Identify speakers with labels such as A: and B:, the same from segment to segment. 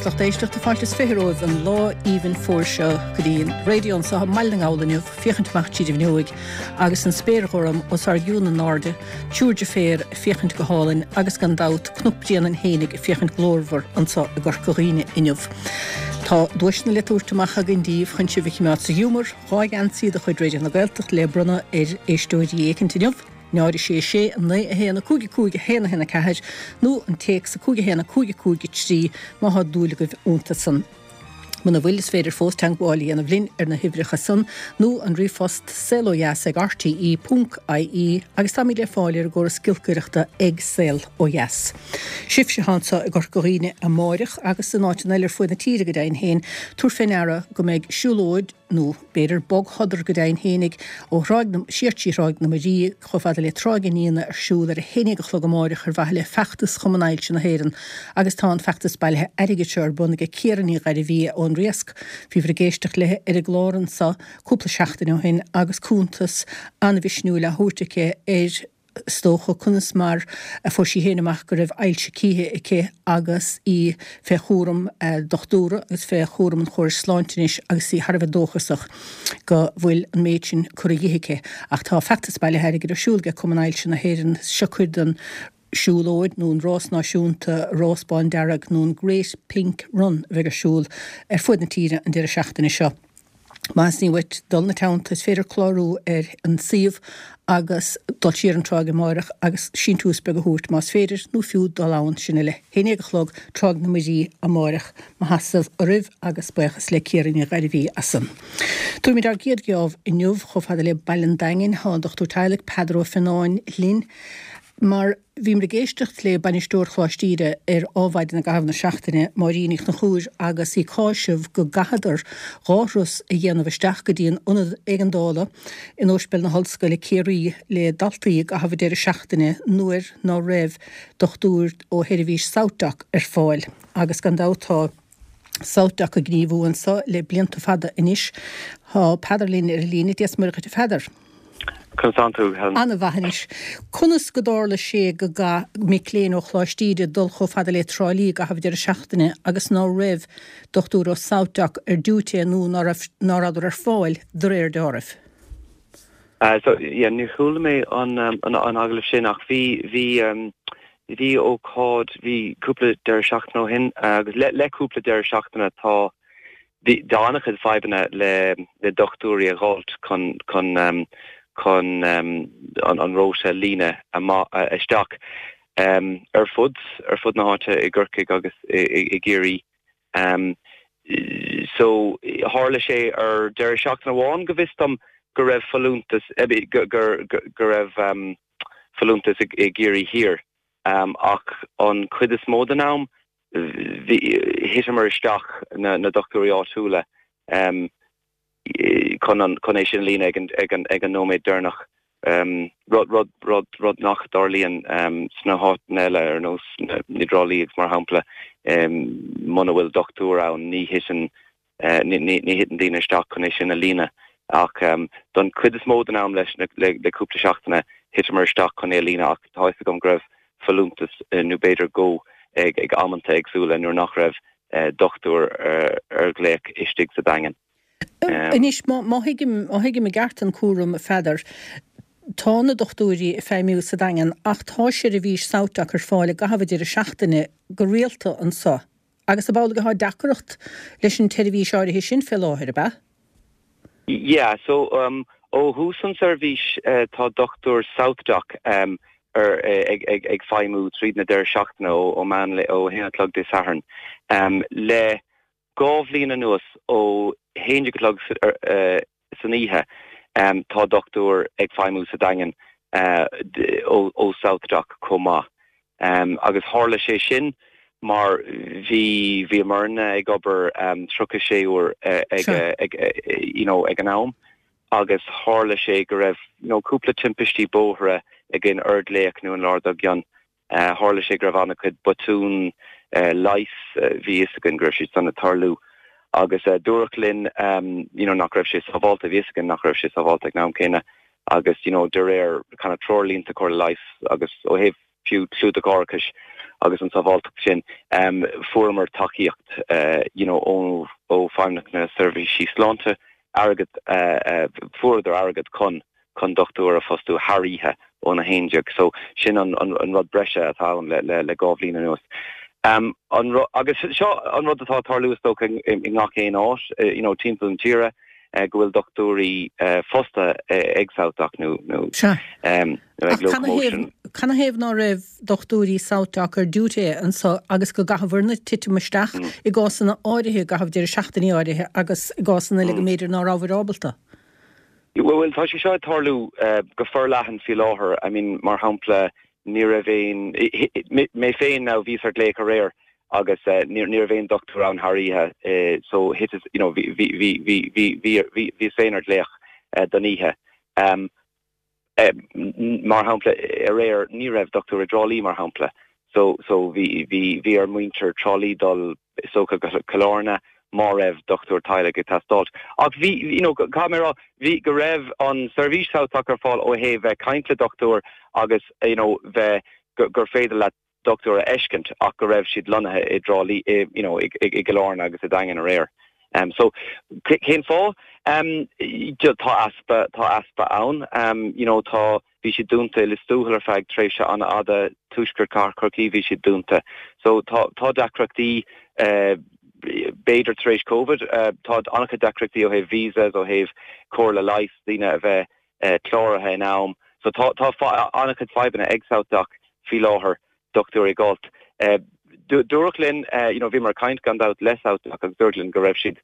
A: Agus lucht éisteachta fáilte is 20 romhaibh an lá aoibhinn fómhair seo go dtí an raidió anseo i mBaile na nGall inniu, féachaint amach tríd an bhfuinneoig agus an spéir ghorm os ár gcionn in airde, triúr deirféar ag féachaint go hálainn agus gan dabht Cnoc Bréanainn fhéinig ag féachaint glórmhar anseo i gCorca Dhuibhne inniu. Tá duaiseanna le tabhairt amach againn daoibh chun sibh a chimeád sa ghiúmar, 2 gheansaí de chuid Raidió na Gaeltachta le bronnadh ar éisteoirí éicint inniu. 0 6 6 9 1 5 5 1 1 4 nó an téacs 5 1 5 5 3 má thá dúil agaibh iontu san. Muna bhfuil, is féidir fós teangmháil a dhéanamh linn ar na huimhreacha san nó an ríomhphost saolodheas ag rte ponc ie agus táimid le fáil ar an gcóras giolcaireachta ag Saol Ó Dheas. Sibhse atá anseo i gCorca Dhuibhne amáireach agus in áiteanna eile ar fuaid na tíre go deimhin féin, tabhair fé ndeara go mbeidh siúlóid, nó b'fhéidir bogshodar go deimhin fhéinig, ó Thráigh na, siar trí Thráigh na Muirí chomh fada le Tráigh an Fhíona ar siúl ar a haon dhéag a chlog amáireach ar mhaithe le feachtas Chumann Ailse na hÉireann agus tá an feachtas bailithe airgid seo ar bun aige Ciara Ní Ghairbhí ón Riasc. Bhíobhair ag éisteacht léi ar an gclár anso cúpla seachtain ó shin agus cuntas an-mhisniúil á thabhairt aici ar is dócha, conas mar a fuair sí féin amach go raibh ailse cíche aici agus í fé chúram dochtúra agus fé chúram an chórais sláinte anois agus í thar a bheith dóchasach go bhfuil an méid sin curtha dhi aici. Ach tá feachtas bailithe airgid ar siúl aige Cumann Ailse na hÉireann. Seo cuid den siúlóid nó an rás náisiúnta, Rás Bándearg nó an Great Pink Run a bheidh ar siúl ar fuaid na tíre an deireadh seachtaine seo. Má theastaíonn uait dul ina teannta, is féidir clárú ar an suíomh agus dul siar an tráigh amáireach agus síntiús beag a thabhairt más féidir, nó fiú dul ann, sin ar a haon dhéag a chlog, Tráigh na Muirí amáireach. Mo sheasamh oraibh agus buíochas le Ciara Ní Ghairbhí as san. Tabharfaimid ár gcéad gheábh inniu chomh fada le Baile an Daingin. Tá an Dochtúir Teaghlaigh Peadar Ó Fionnáin linn mar. Bhíomar ag éisteacht le Bainisteoir Choláiste Íde ar Ádhmhaidin i gcaitheamh na seachtaine, Máirín Ní Chonchúir, agus í ag cáiseamh go gcaitheadar 2 thuras a dhéanamh isteach go dtí an Ionad Éigeandála in Ospidéal na hOllscoile, Ciarraí, le daltaí i gcaitheamh an deireadh seachtaine nuair ná raibh dochtúir ó sheirbhís SouthDoc ar fáil. Agus gan dabht tá SouthDoc ag gníomhú anso le blianta fada anois. Tá Peadar linn ar an líne. Dia 's Muire dhuit a Pheadair.
B: Conas tánn tú, Helen?
A: An-mhaith anois. Conas go dtarla sé go gcaith mic léinn ó Choláiste Íde dul chomh fada le Trá Lí i gcaitheamh deireadh seachtaine agus ná raibh dochtúir ó SouthDoc ar diúité nó ná raibh ná rabhadar ar fáil de réir deáraimh?
B: So, yeah, níor chuala mé an an agallamh sin ach bhí bhí bhí ócáid, bhí cúpla deireadh seachtaine ó shin agus le le cúpla deireadh seachtaine tá Bhí an-chuid fadhbanna le dochtúirí a dh'fháilt chun chun chun an rota a líonadh amach isteach ar fud ar fud na háite i gCorcaigh agus i gCiarraí. So tharla sé ar deireadh seachtaine amháin go bhfios dom go raibh folúntas go go raibh folúntas i gCiarraí Thiar ach an chuid is mó den am bhí, thiteamar isteach na na dochtúirí áitiúla chun an, chun é sin a líonadh ag an, ag an, ag an nóiméad deireanach. Rud, rud, rud, rud nach dtarlaíonn sna háiteanna eile ar nós na, i dTrá Lí agus mar shampla, muna bhfuil dochtúir ann ní thiteann Ní thiteann daoine isteach chun é sin a líonadh ach don chuid is mó den am leis le cúpla seachtaine thiteamar isteach chun é a líonadh ach tá fhios agam go raibh folúntas nó b'fhéidir dhó ag amanta éagsúla nuair nach raibh dochtúir ar ghlaoch istigh sa Daingean.
A: Anois, má thuigim, má thuigim i gceart an cúram, a Pheadair, tá na dochtúirí ag feidhmiú sa Daingean ach tá seirbhís SouthDoc ar fáil i gcaitheamh an deireadh seachtaine go rialta anso. Agus ab amhlaidh atá deacracht leis an tseirbhís áirithe sin fé láthair, ab ea?
B: Yeah, so ó thús an seirbhís tá dochtúir SouthDoc ar ag ag ag feidhmiú tríd na deireadh seachtaine ó ó meán lae ó 1 a chlog Dé Sathairn. Le 2 bhliain anuas ó 11 a chlog san oíche tá dochtúir ag feidhmiú sa Daingean ó SouthDoc chomh maith. Agus tharla sé sin mar bhí bhíomarna ag obair 36 uair ag you know ag an am agus tharla sé go raibh you know cúpla timpistí bóithre againn ar ghlaoch nó an lá dár gcionn Tharla sé go raibh an-chuid botún leighis, bhí fhios againn go raibh siad san ag tarlú agus dúradh linn you know nach raibh sé sábhálta, bhí fhios againn nach raibh sé sábhálta ag an am céanna agus you know de réir kind of treoirlínte Comhairle Leighis agus ó thaobh fiú clúdach árachais. agus an sábháilteacht sin, fuaireamar tacaíocht you know ó ó Feidhmeannacht na Seirbhísí Sláinte, airgead, fuaireadar airgead chun chun dochtúir a phostú thar oíche ón 11. So sin an an rud breise atá ann le le le 2 bhliain anuas. An agus seo an rud atá ag tarlú is dócha i ngach aon áit you know timpeall na tíre go bhfuil dochtúirí fostaithe ag SouthDoc nó nó
A: ag Locomotion. Canathaobh ná raibh dochtúirí SouthDoc ar duty anso agus go gcaitheabhair-ne titim isteach i gcásanna áirithe i gcaitheamh deireadh seachtainí áirithe agus i gcásanna eile go mb'fhéidir ná rabhabhair ábalta?
B: Bhuel, tá sé seo ag tarlú go forleathan faoi láthair. I mean, mar shampla, ní raibh aon, mé féin now, bhíos ar glaoch aréir agus ní raibh aon dochtúir ann thar oíche so thiteas, you know, bhí, bhí, bhí, bhí, bhí, bhí, bhí, bhíos féin ar glaoch don oíche. Mar shampla, aréir ní raibh dochtúir i dTrá Lí, mar shampla. So, so bhí, bhí, bhí ar muintir Trá Lí dul is dócha go Cill Airne má raibh dochtúir teaghlaigh ag teastáilt. Ach bhí, you know, caithfidh mé a rá, bhí, go raibh an seirbhís SouthDoc ar fáil ó thaobh bheith caint le dochtúir agus, you know, bheith, gur féidir leat dochtúir a fheiscint ach go raibh siad lonnaithe i dTrá Lí, i, you know, i, i gCill Airne agus i Daingean aréir. Um, so, cén fáth? Um, tá easpa, tá easpa ann. Um, you know, tá, bhí siad dúnta i Lios Tuathail ar feadh tréimhse an-fhada, tuaisceart Chathair Chorcaí bhí siad dúnta. So tá, tá deacrachtaí, uh, b'fhéidir tar éis Covid, uh, tá an-chuid deacrachtaí ó thaobh visas, ó thaobh comhairle leighis, daoine a bheith cláraithe in am. So tá tá an-chuid fadhbanna ag SouthDoc faoi láthair, dochtúirí a dh'fháilt. Dúradh linn, you know, bhíomar ag caint gan dabht le SouthDoc agus dúradh linn go raibh siad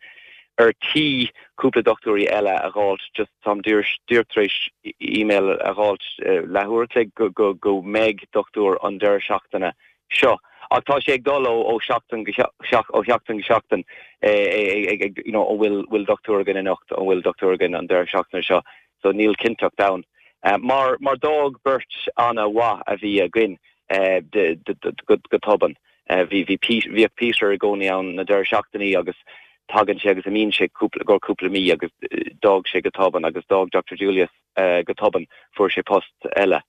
B: ar tí cúpla dochtúirí eile a dh'fháilt, just táim díreach tar éis email a dh'fháilt leathuair a chloig go go go mbeidh dochtúir an deireadh seachtaine seo. Ach tá sé ag dul ó ó sheachtain go ó sheachtain go seachtain ag ag you know an bhfuil bhfuil dochtúir againn anocht, an bhfuil dochtúir againn an deireadh seachtaine seo. So níl cinnteacht ann. Mar mar d'fhág beirt an-mhaith a bhí againn go go tobann. Bhí bhí bhíodh Peter i gcónaí ann na deireadh seachtainí agus tagann sé agus imíonn sé cúpla i gcomhair cúpla mí agus d'fhág sé go tobann agus d'fhág Dr Julius go tobann, fuair sé post eile.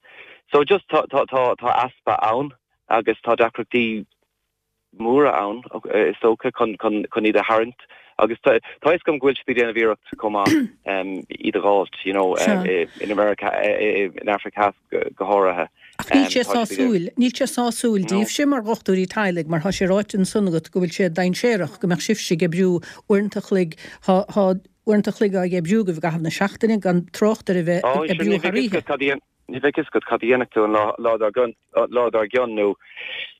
B: So just tá tá tá tá easpa ann agus tá deacrachtaí móra ann is dócha chun chun chun iad a tharraingt agus tá tá fhios agam go bhfuil siad ag déanamh iarracht chomh maith iad a dh'fháilt you know in America in Africa Theas go go háirithe.
A: Ach níl sé sásúil, níl sé sásúil daoibhse mar dhochtúirí teaghlaigh mar tá sé ráite ansan agat go bhfuil sé dainséarach go mbeadh sibhse ag oibriú uaireanta a chloig, tá tá uaireanta a chloig á oibriú agaibh i gcaitheamh na seachtaine, gan trácht ar a bheith ag oibriú thar
B: oíche. Ní bheadh fhios agat cad a dhéanfaidh tú an lá dár gcionn, lá dár gcionn nó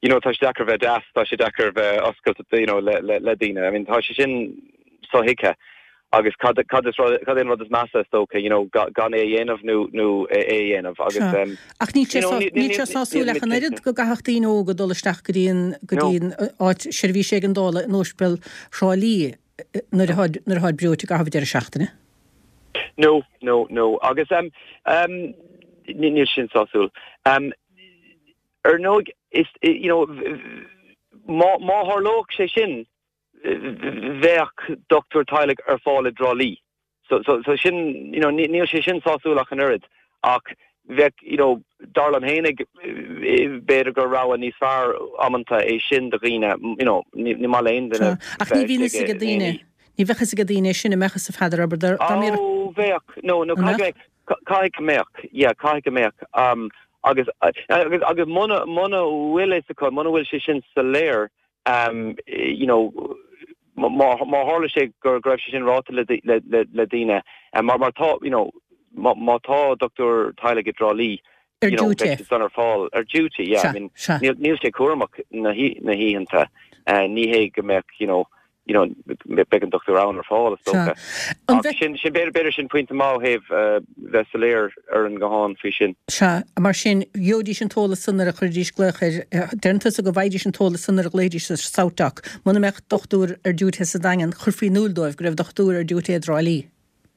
B: you know tá sé deacair bheith deas, tá sé deacair bheith oscailte you know le le le daoine. I mean tá sé sin sothuigthe agus cad cad is rud cad é an rud is measa is dócha you know gan é a dhéanamh nó nó é a dhéanamh agus
A: Sea. um Ach níl sé you know níl sé sásúil ach an oiread go gcaithfeadh daoine óga dul isteach go dtí an go dtí an áit seirbhís éigeandála in Ospidéal Thrá Lí nuair atáid nuair atáid breoite i gcaitheamh deireadh seachtaine.
B: No, no, no. Agus um, um, níl sin sásúil. Um, ar ndóigh, is, you know, má, má tharlódh sé sin, bheadh dochtúir teaghlaigh ar fáil i dTrá Lí. So, so, so sin, you know, níl sé sin sásúil ach an oiread, ach bheadh, you know, dar liom fhéinig, b'fhéidir gur rogha níos fearr amanta é sin do dhaoine, you know, ní maith le aon duine
A: Ach ní bhíonn fhios ag daoine, ní bheadh fhios ag daoine é sin an mbeadh fhios, a Pheadair, abair, dá
B: mbeadh. Ó, bheadh, no, no, caithfidh go mbeadh, caithfidh go mbeadh, yeah, caithfidh go mbeadh, um, agus, agus, agus muna, muna bhfuil fhios acu, muna bhfuil sé sin soiléir, um, you know, má, má tharla sé go, go raibh sé sin ráite le, le, le, le daoine, mar, mar tá, you know, má, má tá dochtúir teaghlaigh i dTrá Lí,
A: Ar you know, duty.
B: beidh siad san ar fáil ar duty, yeah, I mean, níl, níl sé cúramach na, na hoícheanta, ní hé go mbeadh, you know, you know, beidh an dochtúir ann ar fáil, is dócha. Ach sin, sin, b'fhéidir sin pointe maith ó thaobh bheith soiléir ar an nguthán faoi sin.
A: Sea, mar sin, gheobhaidís an t-eolas san nuair a chuirfidís glaoch ar, deireann tusa go bhfaighidís an t-eolas san nuair a ghlaofaidís ar SouthDoc. Muna mbeadh dochtúir ar duty sa Daingean, chuirfí in iúl dóibh go raibh dochtúir ar duty i dTrá Lí.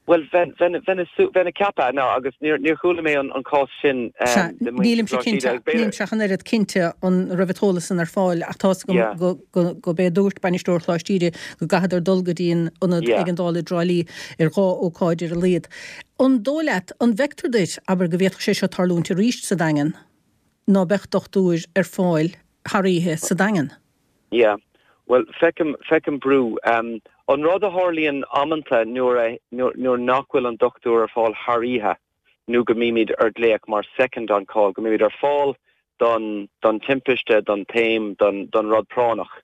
B: Bhuel, bheinn, bheinn, bheinn, bheinn ag ceapadh, now, agus níor, níor chuala mé an, an cás sin
A: Sea, de muintir nílimse Choláiste Íde, cinnte, agus b'fhéidir. nílimse ach an oiread cinnte an raibh an t-eolas san ar fáil ach tá's agam Yeah. go, go, go b'é a dúirt bainisteoir Choláiste Íde go gcaitheadar dul go dtí an ionad Yeah. éigeandála i dTrá Lí ar dhá ócáid ar a laghad. An dóigh leat, an bhfeictear duit, abair, go bhféadfadh sé seo tarlúint arís sa Daingean, ná beadh dochtúir ar fáil? thar oíche sa Daingean.
B: Yeah. Bhuel, feicim, feicim brú. An rud a tharlaíonn amanta nuair a, nuair nach bhfuil an dochtúir ar fáil thar oíche nó go mbímid ar glaoch mar second on call, go mbímid ar fáil don, don timpiste, don taom, don, don rud práinneach.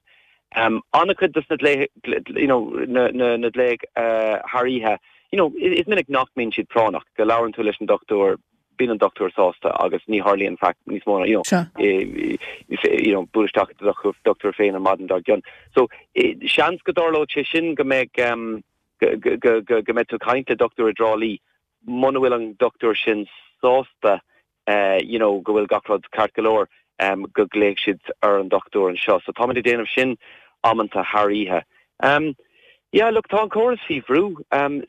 B: An-chuid dos na glaoch, you know, na, na, na glaoch thar oíche, you know, is minic nach mbíonn siad práinneach, go labhrann tú leis an dochtúir, bíonn an dochtúir sásta agus ní tharlaíonn faic níos mó ná, you know, you know, buail isteach ag do dochtúir féin an maidin dár gcionn. So, seans go dtarlódh sé sin go mbeidh, go, go, go, go mbeidh tú ag caint le dochtúir i dTrá Lí, muna bhfuil an dochtúir sin sásta, you know, go bhfuil gach rud ceart go leor, go nglaofaidh siad ar an dochtúir anseo. So táimid ag déanamh sin amanta thar oíche. Yeah, look, tá an córas faoi bhrú,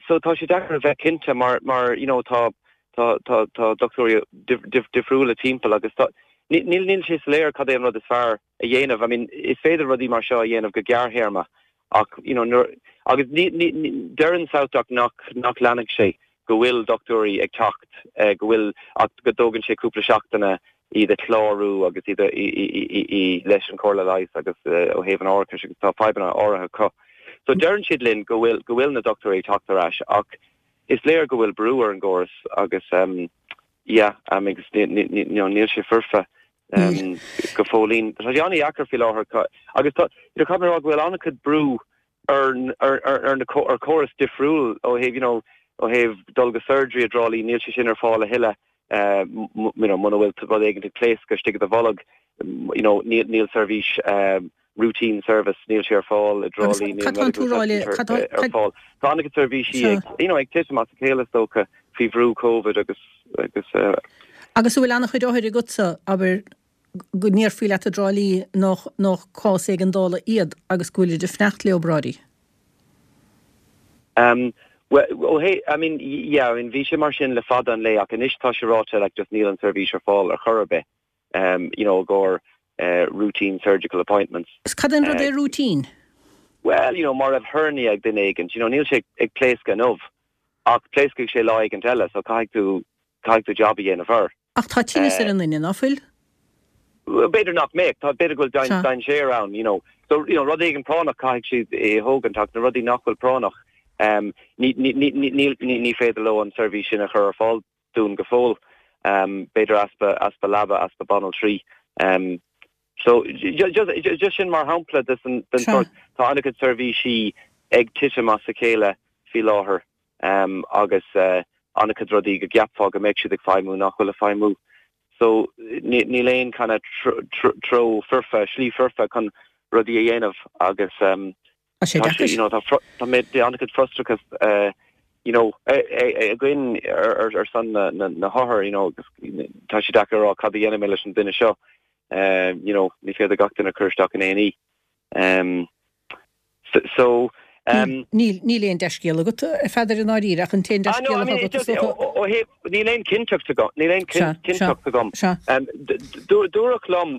B: so tá sé deacair a bheith cinnte mar, mar, you know, tá, tá, tá, tá dochtúirí difriúla timpeall agus tá, níl, níl sé soiléir cad é an rud is fearr a dhéanamh. I mean, is féidir rudaí mar seo a dhéanamh go gearrthéarma ach, you know, nuair, agus ní, ní, ní, deireann SouthDoc nach, nach leanfaidh sé go bhfuil dochtúirí ag teacht, go bhfuil, ach go dtógann sé cúpla seachtaine iad a chlárú agus iad a, i, i, i, i, leis an Chomhairle Leighis agus ó thaobh an árachais agus tá fadhbanna áirithe acu. So deireann siad linn go bhfuil, go bhfuil na dochtúirí ag teacht ar ais ach is léir go bhfuil brú ar an gcóras agus yeah, agus ní, ní, ní, you know, níl sé foirfe go fóillín. Tá sé an-dheacair faoi láthair agus tá, you know, caithfidh mé a rá go bhfuil an-chuid brú ar ar ar na ar córas difriúil ó thaobh you know ó thaobh dul go surgery i dTrá Lí níl sé sin ar fáil a thuilleadh you know muna bhfuil rud éigin ag pléascadh istigh i do bholg you know níl níl seirbhís routine service níl sé ar fáil i dTrá Lí níl medical centre ar fáil. Tá an-chuid seirbhísí ag you know ag titim as a chéile is dócha faoi bhrú Covid agus agus.
A: Agus an bhfuil an-chuid othair agatsa abair go ndéarfaí leat i dTrá Lí nach nach cás éigeandála iad agus go bhfuilid ag fanacht le obráidí?
B: Um, well, oh hey, I mean, yeah, I mean, bhí sé mar sin le fada an lae ach anois tá sé ráite like just níl an seirbhís ar fáil ar chor ar bith, um, you know, i gcomhair uh, routine surgical appointments.
A: Is cad é an rud é routine?
B: Well, you know, má raibh hernia ag duine éigint, you know, níl sé ag pléascadh inniu ach pléascfaidh sé lá éigint eile, so caithfidh tú, caithfidh tú job a dhéanamh air.
A: Ach tá tinneas ar an nduine, ná fuil?
B: B'fhéidir nach mbeadh. Tá, b'fhéidir go bhfuil dainséar ann, you know. So, you know, rud éigin práinneach caithfidh siad é a thógaint ach na rudaí nach bhfuil práinneach, um, ní, ní, ní, ní, ní, ní féidir leo an seirbhís sin a chur ar fáil dúinn go fóill. Um, b'fhéidir easpa, easpa leaba, easpa banaltraí. Um, so, just, just sin mar shampla den sórt, tá an-chuid seirbhísí ag titim as a chéile faoi láthair. agus an-chuid rudaí go gceapfá go mbeadh siad ag feidhmiú nach bhfuil ag feidhmiú. So níl aon kind of treo foirfe, slí foirfe chun rudaí a dhéanamh agus
A: Tá sé deacair.
B: You know, tá tá mé an-chuid frustrachas you know, againn ar son na hothar, you know, agus tá sé deacair a rá cad a dhéanfaidh mé leis an duine seo. You know, ní féidir gach duine a chur isteach in A&E. So,
A: um. Níl, níl aon dea-scéal agat, a Pheadair, i ndáiríre, ach an t-aon
B: Ah, no,
A: dea-scéal
B: I
A: atá
B: mean,
A: agat is dócha.
B: ó thaobh, níl aon cinnteacht agam, níl aon
A: Sea, sea,
B: cinnteacht agam.
A: sea.
B: Um, dúradh liom,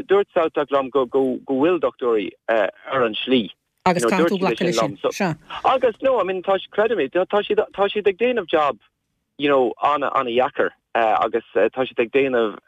B: dúirt SouthDoc liom go, go, go bhfuil dochtúirí ar an slí.
A: Agus
B: You know,
A: caithfidh
B: dúirt
A: tú
B: siad é
A: glacadh
B: sin
A: leis sin.
B: liom. So,
A: Sea.
B: agus, no, I mean, tá, creidim é, tá siad, tá siad ag déanamh job you know, an-an-dheacair agus tá siad ag déanamh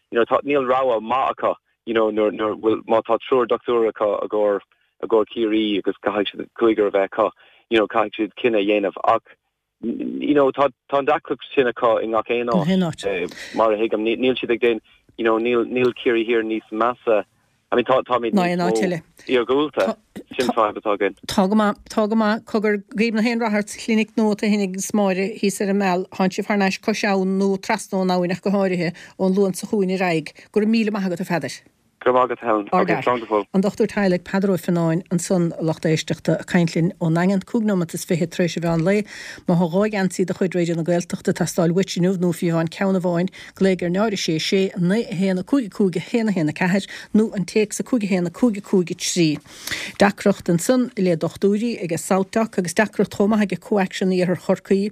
B: you know, tá, níl rogha maith acu, you know, nuair, nuair, bhfuil, má tá triúr dochtúir acu i gcomhair, i gcomhair Ciarraí agus caithfidh siad cúigear a bheith acu, you know, caithfidh siad cinneadh a dhéanamh ach, you know, tá, tá an deacracht sin acu i ngach aon áit, mar a thuigim, níl siad ag déanamh, you know, níl, níl Ciarraí Thiar níos measa I mean, tá, táimid
A: Ná
B: níos
A: aon áit
B: mó
A: eile.
B: iargúlta. Sin fadhb atá againn.
A: Tá go maith, tá go maith. Cogar, guím nach aon rath ort sa chlinic nua tú féin agus Máire thíos ar an Meal. Tánn sibh thar n-ais cois abhann nó trasna ón abhainn ach go háirithe, ón Luan seo chugainn ar aghaidh. Go raibh míle maith agat, a Pheadair.
B: Go raibh maith agat, Helen.
A: Ár
B: Ok,
A: bhfear.
B: slán go fóill.
A: An Dochtúir Teaghlaigh Peadar Ó Fionnáin ansan, a lucht éisteachta, ag caint linn ón nDaingean, 5 nóimeat is 20 tar éis an mheán lae. Má thá 2 gheansaí de chuid Raidió na Gaeltachta ag teastáil uait inniu nó fiú amháin ceann amháin, Glaoigh ar 0 6 6 9 1 5 5 1 1 4 nó an téacs 5 1 5 5 3. Deacracht ansan le dochtúirí aige SouthDoc agus deacracht chomh maith aige ComhAction Iarthar Chorcaí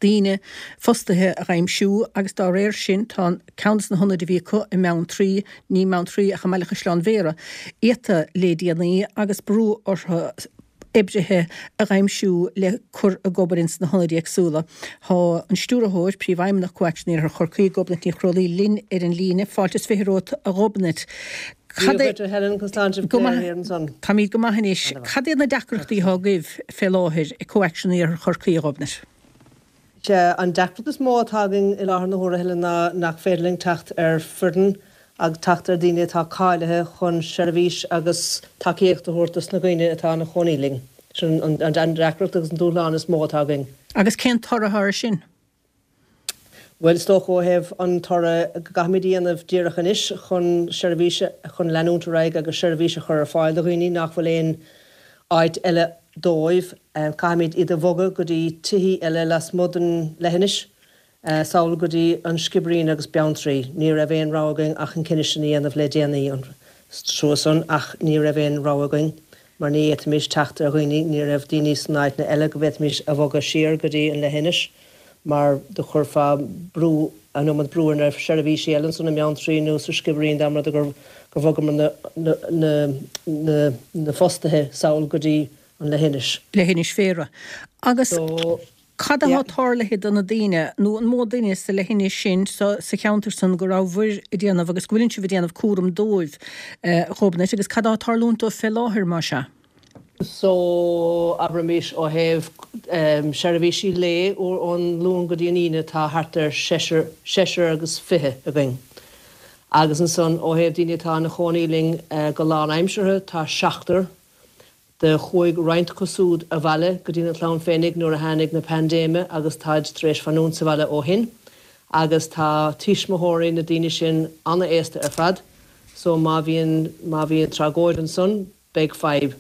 A: daoine fostaithe a dh'aimsiú agus dá réir sin tá ceann des na hionaid a bhí acu i mBeanntraí, ní i mBeanntraí ach i mBaile Chaisleáin Bhéarra, iata le déanaí agus brú orthu. Oibrithe a dh'aimsiú le cur ag obair ins na hionaid éagsúla. Thá an Stiúrthóir, Príomhfheidhmeannach ComhAction Iarthar Chorcaí, Gobnait Ní Chróalaí linn ar an líne. Fáilte is 20 romhat a Ghobnait.
C: Cad é. Dia duit a Helen, conas tánn sibh
A: go léir ansan? Táimíd go maith anois. Cad iad na deacrachtaí athá agaibh fé láthair i ComhAction Iarthar Chorcaí, a Ghobnait?
C: Sea, an deacracht is mó atá againn i láthair na huaire, a Helen, ná nach féidir linn teacht ar foireann agus teacht ar daoine atá cáilithe chun seirbhís agus tacaíocht a thabhairt dos na dhaoine atá ina chónaí linn. Sin an deacracht agus an dúshlán is mó atá againn.
A: Agus cén toradh atá air sin?
C: Bhuel, is dócha ó thaobh an toradh go gcaithfimid a dhéanamh díreach anois chun seirbhís, chun leanúint ar aghaidh agus seirbhís a chur ar fáil do dhaoine nach bhfuil aon áit eile dóibh, caithfimid iad a bhogadh go dtí tithí eile lasmuigh den leithinis, sall go dtí an Sciobairín agus Beanntraí. Ní raibh aon rogha againn ach an cinneadh sin a dhéanamh le déanaí, an trua san, ach ní raibh aon rogha againn mar ní fhéadfaimis teacht ar dhaoine, ní raibh daoine sna áiteanna eile go bhféadfaimis a bhogadh siar go dtí an leithinis mar do chuirfeá brú, an iomad brú ar na seirbhísí eile ansan i mBeanntraí nó sa Sciobairín dá mba rud é gur bhogamar na, na, na, na fostaithe sall go dtí an leithinis.
A: Leithinis Bhéarra. Agus So, cad atá yeah. tarlaithe do na daoine, nó an mó duine sa leithinis sin, sa, sa cheantar san go rabhabhair ag déanamh agus go bhfuileann sibh ag déanamh cúram dóibh, a Ghobnait, agus cad atá ag tarlúint dóibh fé láthair, más ea?
C: So, abraimis, ó thaobh seirbhísí lae ón Luan go dtí an Aoine tá thart ar seisear, seisear agus fiche againn. Agus ansan ó thaobh daoine atá ina chónaí linn go lánaimseartha tá seachtar. Do chuaigh roinnt acu súd abhaile go dtína clann féinig nuair a tháinig na paindéime agus táid tar éis fanúint sa bhaile ó shin. Agus tá tuismitheoirí na daoine sin ana-aosta ar fad so má bhíonn, má bhíonn tragóid ansan, beidh fadhb.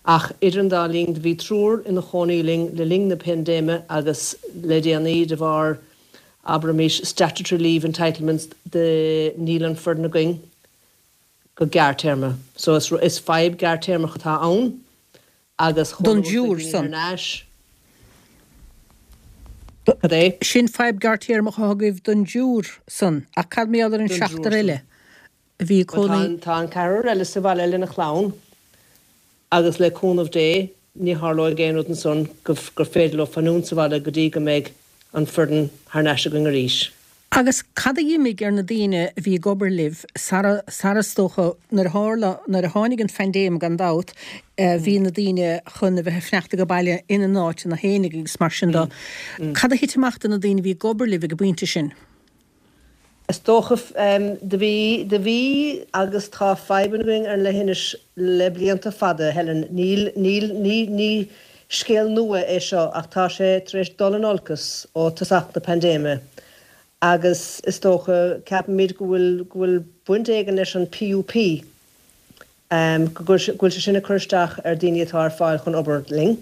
C: Ach idir an dá linn do bhí triúr ina chónaí linn le linn na paindéime agus le déanaí de bharr, abraimis, statutory leave entitlements de níl an foireann againn go gearrtéarma. So is is fadhb gearrtéarmach atá ann agus
A: chomh Don luath is a dtriúr bhíonn
C: thar san. n-ais. Cad é?
A: Sin fadhb gearrtéarmach atá agaibh don dtriúr san. Ach cad mar gheall ar an
C: Don
A: triúr
C: seachtar
A: san. eile? a bhí ag cónaí.
C: Tá an ceathrar eile sa bhaile lena chlann agus le cúnamh Dé ní tharlóidh aon rud ansan gur féidir leo fanúint sa bhaile go dtí go mbeidh an foireann thar n-ais againn arís.
A: Agus cad a dh'imigh ar na daoine a bhí ag obair libh sara, sara is dócha, nuair a tharla, nuair a tháinig an phaindéim gan dabht, bhí na daoine chun a bheith ag fanacht age baile ina n-áiteanna fhéinig agus mar sin de. Cad a thit amach do na daoine a bhí ag obair libh ag an bpointe sin?
C: Is dócha, do bhí, do bhí agus tá fadhbanna againn ar an leithinis le blianta fada, Helen. Níl, níl, ní, ní scéal nua é seo ach tá sé tar éis dul in olcas ó tosach na paindéime agus is dócha, ceapaimid go bhfuil, go bhfuil baint éigin leis an PUP, go bhfuil, go bhfuil sé sin ag cur isteach ar daoine atá ar fáil chun obair linn.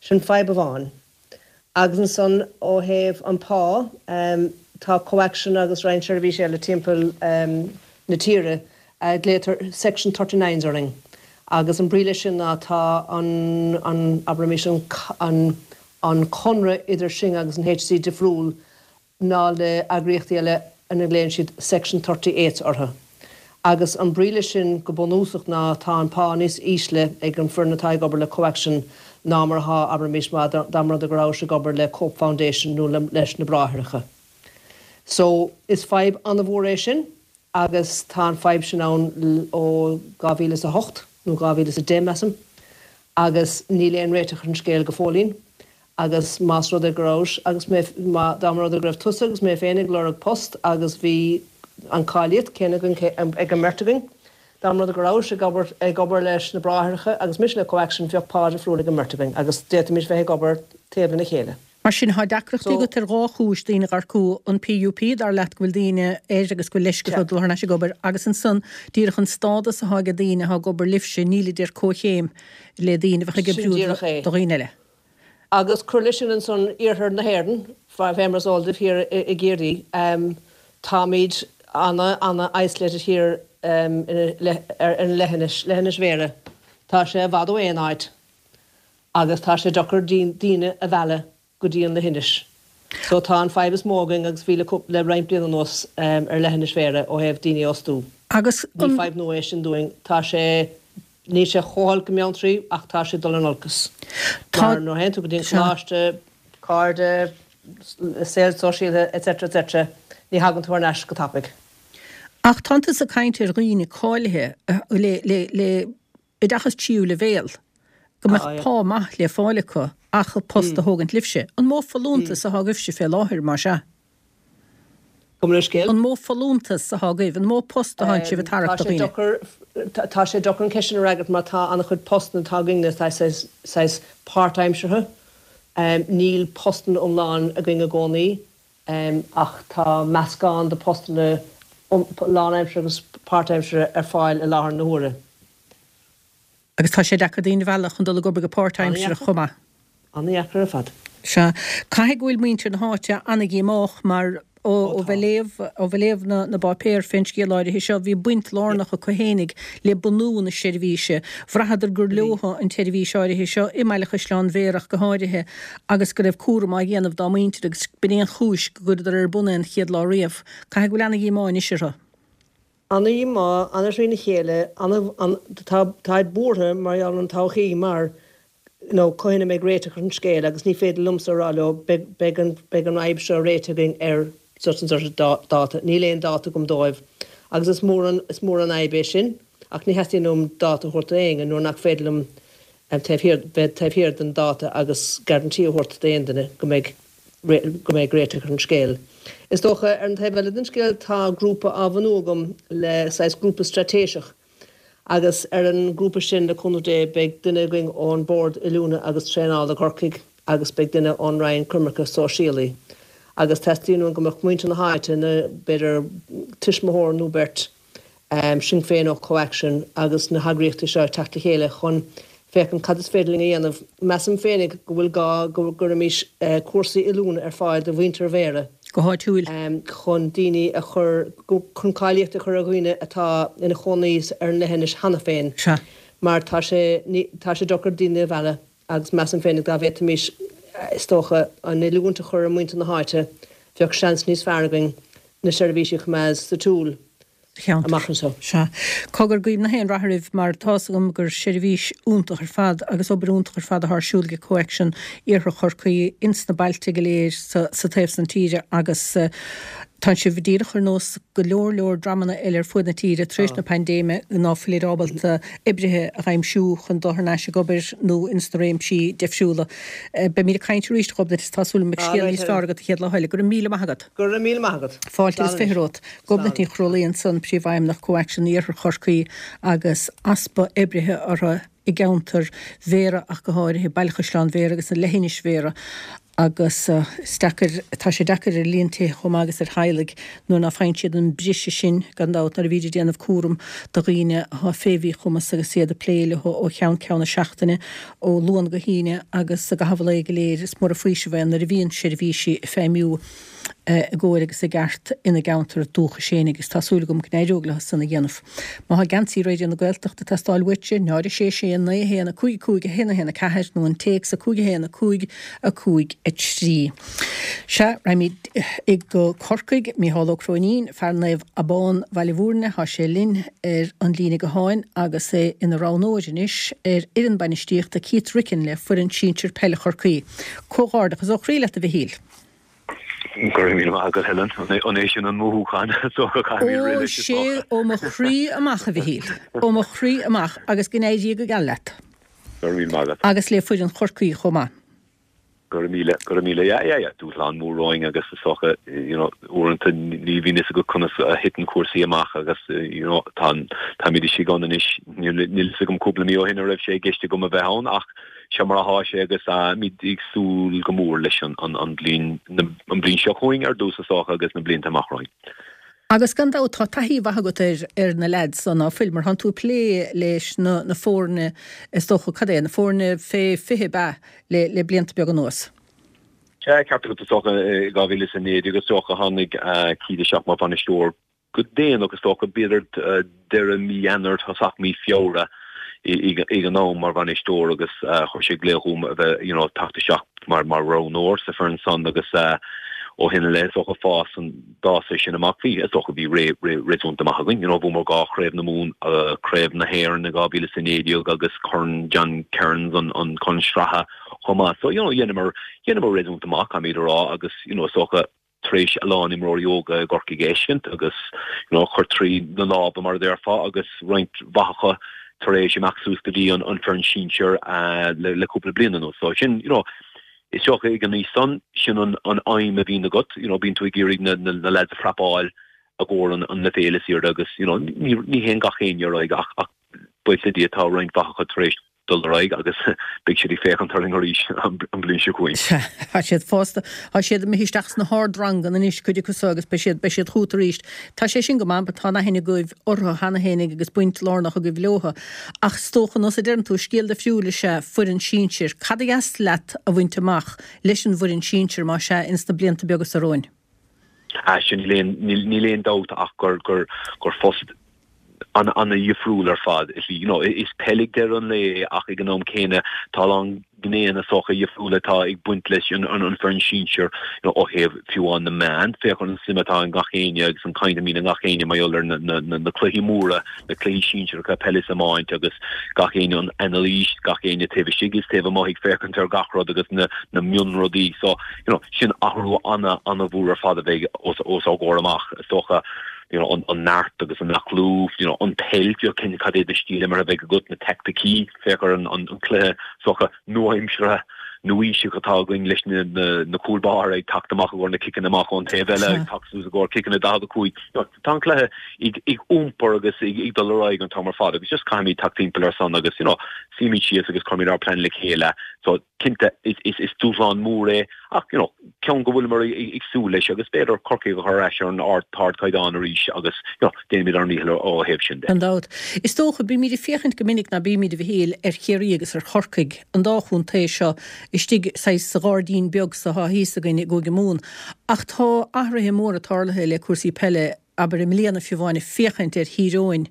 C: Sin fadhb amháin. Agus ansan ó thaobh an pá, tá ComhAction agus roinnt seirbhísí eile timpeall na tíre, glaotar Section Thirty-Nines orainn. Agus an brí leis sin ná tá an, an, abraimis, an, an conradh idir sinn agus an HSE difriúil ná le eagraíochtaí eile ina nglaonn siad Section 38 orthu. Agus an brí leis sin go bunúsach ná tá an pá níos ísle ag an foireann atá ag obair le ComhAction ná mar atá, abraimis, má dá mba rud é go rabhais ag obair le Cope Foundation nó leis na Bráithreacha. So, is fadhb an-mhór é sin agus tá an fadhb sin ann ó 2008 nó 2010, measaim, agus níl aon réiteach ar an scéal go fóillín. Agus más rud é go rabhais agus mé, má, dá mba rud é go raibh tusa agus mé féin ag lorg post agus bhí an cáilíocht céanna againn, ag an mbeirt againn, dá mba rud é go rabhais ag obair, ag obair leis na Bráithreacha agus mise le ComhAction, bheadh pá difriúil ag an mbeirt againn agus d'fhéadfaimis bheith ag obair taobh lena chéile.
A: Mar sin, tá deacrachtaí agat ar dhá chúis, daoine a dh'earcú, an PUP, dar leat go bhfuil daoine air agus go bhfuil leisce orthu dul thar n-ais ag obair, agus ansan, díreach an stádas atá ag daoine atá ag obair libhse, nílid ar comhchéim le daoine a bheadh ag
C: Sin
A: oibriú
C: díreach é.
A: do dhaoine eile.
C: Agus cuir leis sin ansan iarthar na hÉireann, fé mar is eol daoibh thiar i gCiarraí, táimid ana, ana isolated thiar ar an leithinis, leithinis Bhéarra. Tá sé i bhfad ó aon áit agus tá sé deacair daoine a mhealladh go dtí an leithinis. So tá an fadhb is mó againn agus bhí le le roinnt bliana anuas ar leithinis Bhéarra ó thaobh daoine a fhostú.
A: Agus
C: Ní fadhb nua é sin dúinn, tá sé. Níl sé chomh holc i mBeanntraí ach tá sé ag dul in olcas. Mar nuair a théann tú go dtí an coláiste, cairde, saol sóisialta etc etc ní thagann tú thar n-ais go tapaidh.
A: Ach tánn tusa ag caint ar dhaoine cáilithe le le le oideachas tríú leibhéal go mbeadh pá maith le fáil acu ach post a thógaint libhse. An mó folúntas atá agaibhse fé láthair, más ea?
C: Gabh mo leithscéal.
A: An mó folúntas atá agaibh? An mó post atánn sibh ag tarrac do dhaoine?
C: Tá sé deacair an cheist sin a fhreagairt mar tá an-chuid postanna atá againn saghas páirtaimseartha. Níl postanna iomlán againn i gcónaí ach tá meascán de postanna lánaimseartha agus páirtaimseartha ar fáil i láthair na huaire.
A: Agus tá sé deacair daoine a mhealladh chun dul ag obair go páirtaimseartha chomh maith.
C: An-dheacair ar fad.
A: Sea. Caithfidh go bhfuil muintir na háite an-dhíomách mar ó bheith léamh, ó bheith léamh na na bpáipéar fén scéal áirithe seo, bhí baint lárnach acu fhéinig le bunú na seirbhíse. Bhraitheadar gur leothu an tseirbhís áirithe seo, i mBaile Chaisleáin Bhéarra ach go háirithe, agus go raibh cúram á dhéanamh dá muintir agus b'in é an chúis go gcuireadar ar bun é an chéad lá riamh. Caithfidh go bhfuil ana-dhíomá anois orthu.
C: Ana-dhíomá, ana-thrína chéile, ana, tá, táid buartha mar gheall ar an todhchaí mar, you know, cathain a mbeidh réiteach ar an scéal agus ní féidir liomsa a rá leo beidh, beidh an, beidh an fhadhb seo réitithe againn ar such and such a dáta, níl aon dáta agam dóibh agus is mór an, is mór an fhadhb é sin ach ní theastaíonn uaim dáta a thabhairt do éinne nuair nach féidir liom taobh thiar, bheith taobh thiar den dáta agus guarantee a thabhairt d'aon duine go mbeidh. go mbeidh réiteach ar an scéal. Is dócha, ar an taobh eile den scéal, tá grúpa á bhunú agam le saghas grúpa straitéiseach agus ar an ngrúpa sin, le cúnamh Dé, beidh duine againn ón Bord Oiliúna agus Traenála Corcaigh agus beidh duine ón Roinn Coimirce Sóisialaí agus teastaíonn uainn go mbeadh muintir na háite, na, b'fhéidir tuismitheoir nó beirt, Sinn Féin ó CoAction agus na heagraíochtaí seo ag teacht le chéile chun féachaint cad is féidir linn a dhéanamh. Measaim féinig go bhfuil gá go gcuirfimis cúrsaí oiliúna ar fáil do mhuintir Bhéarra.
A: Go háitiúil.
C: chun daoine a chur, chun cáilíocht a chur ar dhaoine atá ina chónaí ar an leithinis cheana féin.
A: Sea.
C: Mar tá sé, tá sé deacair daoine a mhealladh agus measaim féinig dá bhféadfaimis, is dócha, an oiliúint a chur ar mhuintir na háite, bheadh seans níos fearr againn na seirbhísí a choimeád sa tsiúl
A: cheantar.
C: amach anseo.
A: Sea. Cogar, guím nach aon rath oraibh mar tá's agam gur seirbhís iontach ar fad agus obair iontach ar fad atá ar siúl ag CoAction Iarthar Chorcaí ins na bailte go léir sa sa taobh san tíre agus tánn sibh díreach ar nós go leor leor dreamanna eile ar fuaid na tíre tar éis na paindéime ná fuilid ábalta oibrithe a dh'aimsiú chun dul thar n-ais ag obair nó ins na réimsí deifriúla. Beimíd ag caint arís a Ghobnait is tá súil agam go mbeidh scéal níos fearr agat an chéad lá eile. Go raibh míle maith agat.
C: Go raibh míle maith agat.
A: Fáilte agus 20 romhat. Gobnait Ní Chrólaí ansan, Príomhfheidhmeannach CoAction Iarthar Chorcaí agus easpa oibrithe orthu i gceantar Bhéarra ach go háirithe, Baile Chaisleáin Bhéarra agus Leithinis Bhéarra agus is deacair, tá sé deacair ar líon tithe chomh maith agus ar theaghlaigh nuair ná faigheann siad an briseadh sin gan dabht nuair a bhíd ag déanamh cúram do dhaoine atá fé mhíchumas agus iad ag plé leo ó cheann ceann na seachtaine ó Luan go hAoine agus i gcaitheamh an lae go léir. Is mór an faoiseamh é nuair a bhíonn seirbhísí ag feidhmiú i gcóir agus i gceart ina gceantar dúchais féin agus tá súil agam go n-éireoidh leo san a dhéanamh. Má tá geansaí Raidió na Gaeltachta ag teastáil uaitse, 0 6 6 9 1 5 5 1 1 4 nó an téacs 5 1 5 5 3. Sea, raghaimid go Corcaigh, Mícheál Ó Cróinín, fear Naomh Abán, Bhaile Mhúirne, tá sé linn ar an líne gutháin agus é ina roghnóir anois ar fhoireann bainistíochta Keith Ricken le foireann sinsir peile Chorcaí. Comhghairdeachas ó chroí leat a Mhichíl.
B: Go raibh míle maith agat, Helen. An é sin an mothúchán? Is dócha caithfimid rith
A: Ó,
B: leis, is
A: sé
B: dócha.
A: ó mo chroí amach, a Mhichíl. Ó mo chroí amach agus go n-éirí go geal leat.
B: Go raibh míle maith agat.
A: Agus le foireann Chorcaí chomh maith.
B: Go raibh míle, go raibh míle. Yeah, yeah, yeah. Dúshlán mór romhainn agus is dócha, you know, uaireanta ní bhíonn fhios agat conas a thiteann cúrsaí amach agus, you know, tá, táimid istigh ann anois. Níl, níl fhios agam cúpla mí ó shin an raibh sé i gceist agam a bheith ann ach Seo mar atá sé agus táimid ag súil go mór leis an bhliain, an bhliain seo chugainn ar dtús is dócha agus na blianta amach romhainn.
A: Agus gan dabht tá taithí mhaith agat ar ar na leaids so ná fuil, mar tánn tú ag plé leis na na foirne is dócha, cad é, na foirne fé 20 ab ea le le blianta beaga anuas?
B: Sea, ceart agat is dócha i 2019 is dócha tháinig Keith isteach mar bhainisteoir Go déanach, is dócha, b'fhéidir deireadh mí Eanáir, tosach mí Feabhra ag an am mar bhainisteoir agus chuir sé glaoch chugam a bheith, you know, teacht isteach mar mar roghnóir sa foireann san agus.
D: Ó shin i leith, is dócha, fás an, d'fhás é sin amach. Bhí, is dócha, bhí ré, ré réasúnta maith againn. You know, bhuamar 2 Chraobh na Mumhan, Craobh na hÉireann i 2019 agus Corn John Kerins, an, an Corn Sraithe chomh maith. So, you know, dheineamar, dheineamar réasúnta maith, caithfimid a rá, agus, you know, is dócha, tar éis a lán imreoirí óga i gCorcaigh a fheiscint agus, you know, a chur trí na lámha, mar a déarfá, agus roinnt mhaith acu tar éis imeacht suas go dtí an, an foireann sinsir le, le cúpla bliain anuas. So sin, you know, Is dócha ag an aois san, sin an aidhm a bhíonn agat, you know, bíonn tú ag iarraidh na na lads a phrapáil i gcomhair an an leibhéal is airde agus, you know, ní ní théann gach éinne ar aghaidh ach ach buíochas le Dia tá roinnt mhaith acu tar éis dul ar aghaidh agus beidh siad ag féachaint orainn arís an bhliain seo chugainn.
A: Sea, tá siad fásta, tá siad imithe isteach sna hardranganna anois, cuid acu so, agus beidh siad, beidh siad chugat arís. Tá sé sin go maith, tá an aithne agaibh orthu cheana fhéinig agus baint lárnach agaibh leothu. Ach is dócha, nós a deireann tú, scéal difriúil is ea foireann sinsir. Cad a dheas leat a bhaint amach leis an bhfoireann sinsir, más ea, ins na blianta beaga so romhainn?
D: Ah, sin, níl aon, níl aon dabht ach gur, gur, gur phost an-dhifriúil ar fad. Is, you know, is peil ag deireadh an lae é ach ag an am céanna tá a lán gnéanna is dócha difriúla atá ag baint leis an bhfoireann sinsir ó thaobh fiú amháin na meán. Féach ar an suim atá in gach éinne agus an caint a mbíonn i ngach éinne mar gheall ar na cluichí móra, na cluichí sinsearacha peile is iomáint agus gach éinne an anailís, gach éinne taobh istigh is taobh amuigh ag féachaint ar gach rud agus na mionrudaí. So, you know, sin athrú ana-mhór ar fad a bheidh os ár gcomhair amach is dócha. You know, an neart agus an aclú, you know, an peil, you know, cad é do stíl imeartha a bheidh agat, na teaicticí, Féach ar an cluiche is dócha nua-aimseartha, nua-aoiseach atá againn leis na cúil báire ag teacht amach i gcomhair na ciceanna amach ón taobh eile, ag teacht suas i gcomhair ciceanna 45. Tá an cluiche ag iompar agus ag dul ar aghaidh an t-am ar fad agus just caithfimid teacht timpeall ar san agus you know suímid síos agus cuirimid ár plean le chéile. So cinnte is dúshlán mór é Ach, you know, ceann go bhfuileamar ag súil leis agus b'fhéidir Corcaigh a chur ar ais ar an ardchaighdeán arís agus, you know, déanfaimid ár ndícheall ó thaobh sin de.
A: Gan dabht. Is dócha, bímid ag féachaint go minic, ná bímid, a Mhichíl, ar Chiarraí agus ar Chorcaigh, an dá chontae seo istigh saghas sa ghairdín beag so atá thíos againn i gCúige Mumhan. Ach tá athruithe móra tarlaithe le cúrsaí peile, abair i mbliana fiú amháin, ag féachaint ar Thír Eoghain,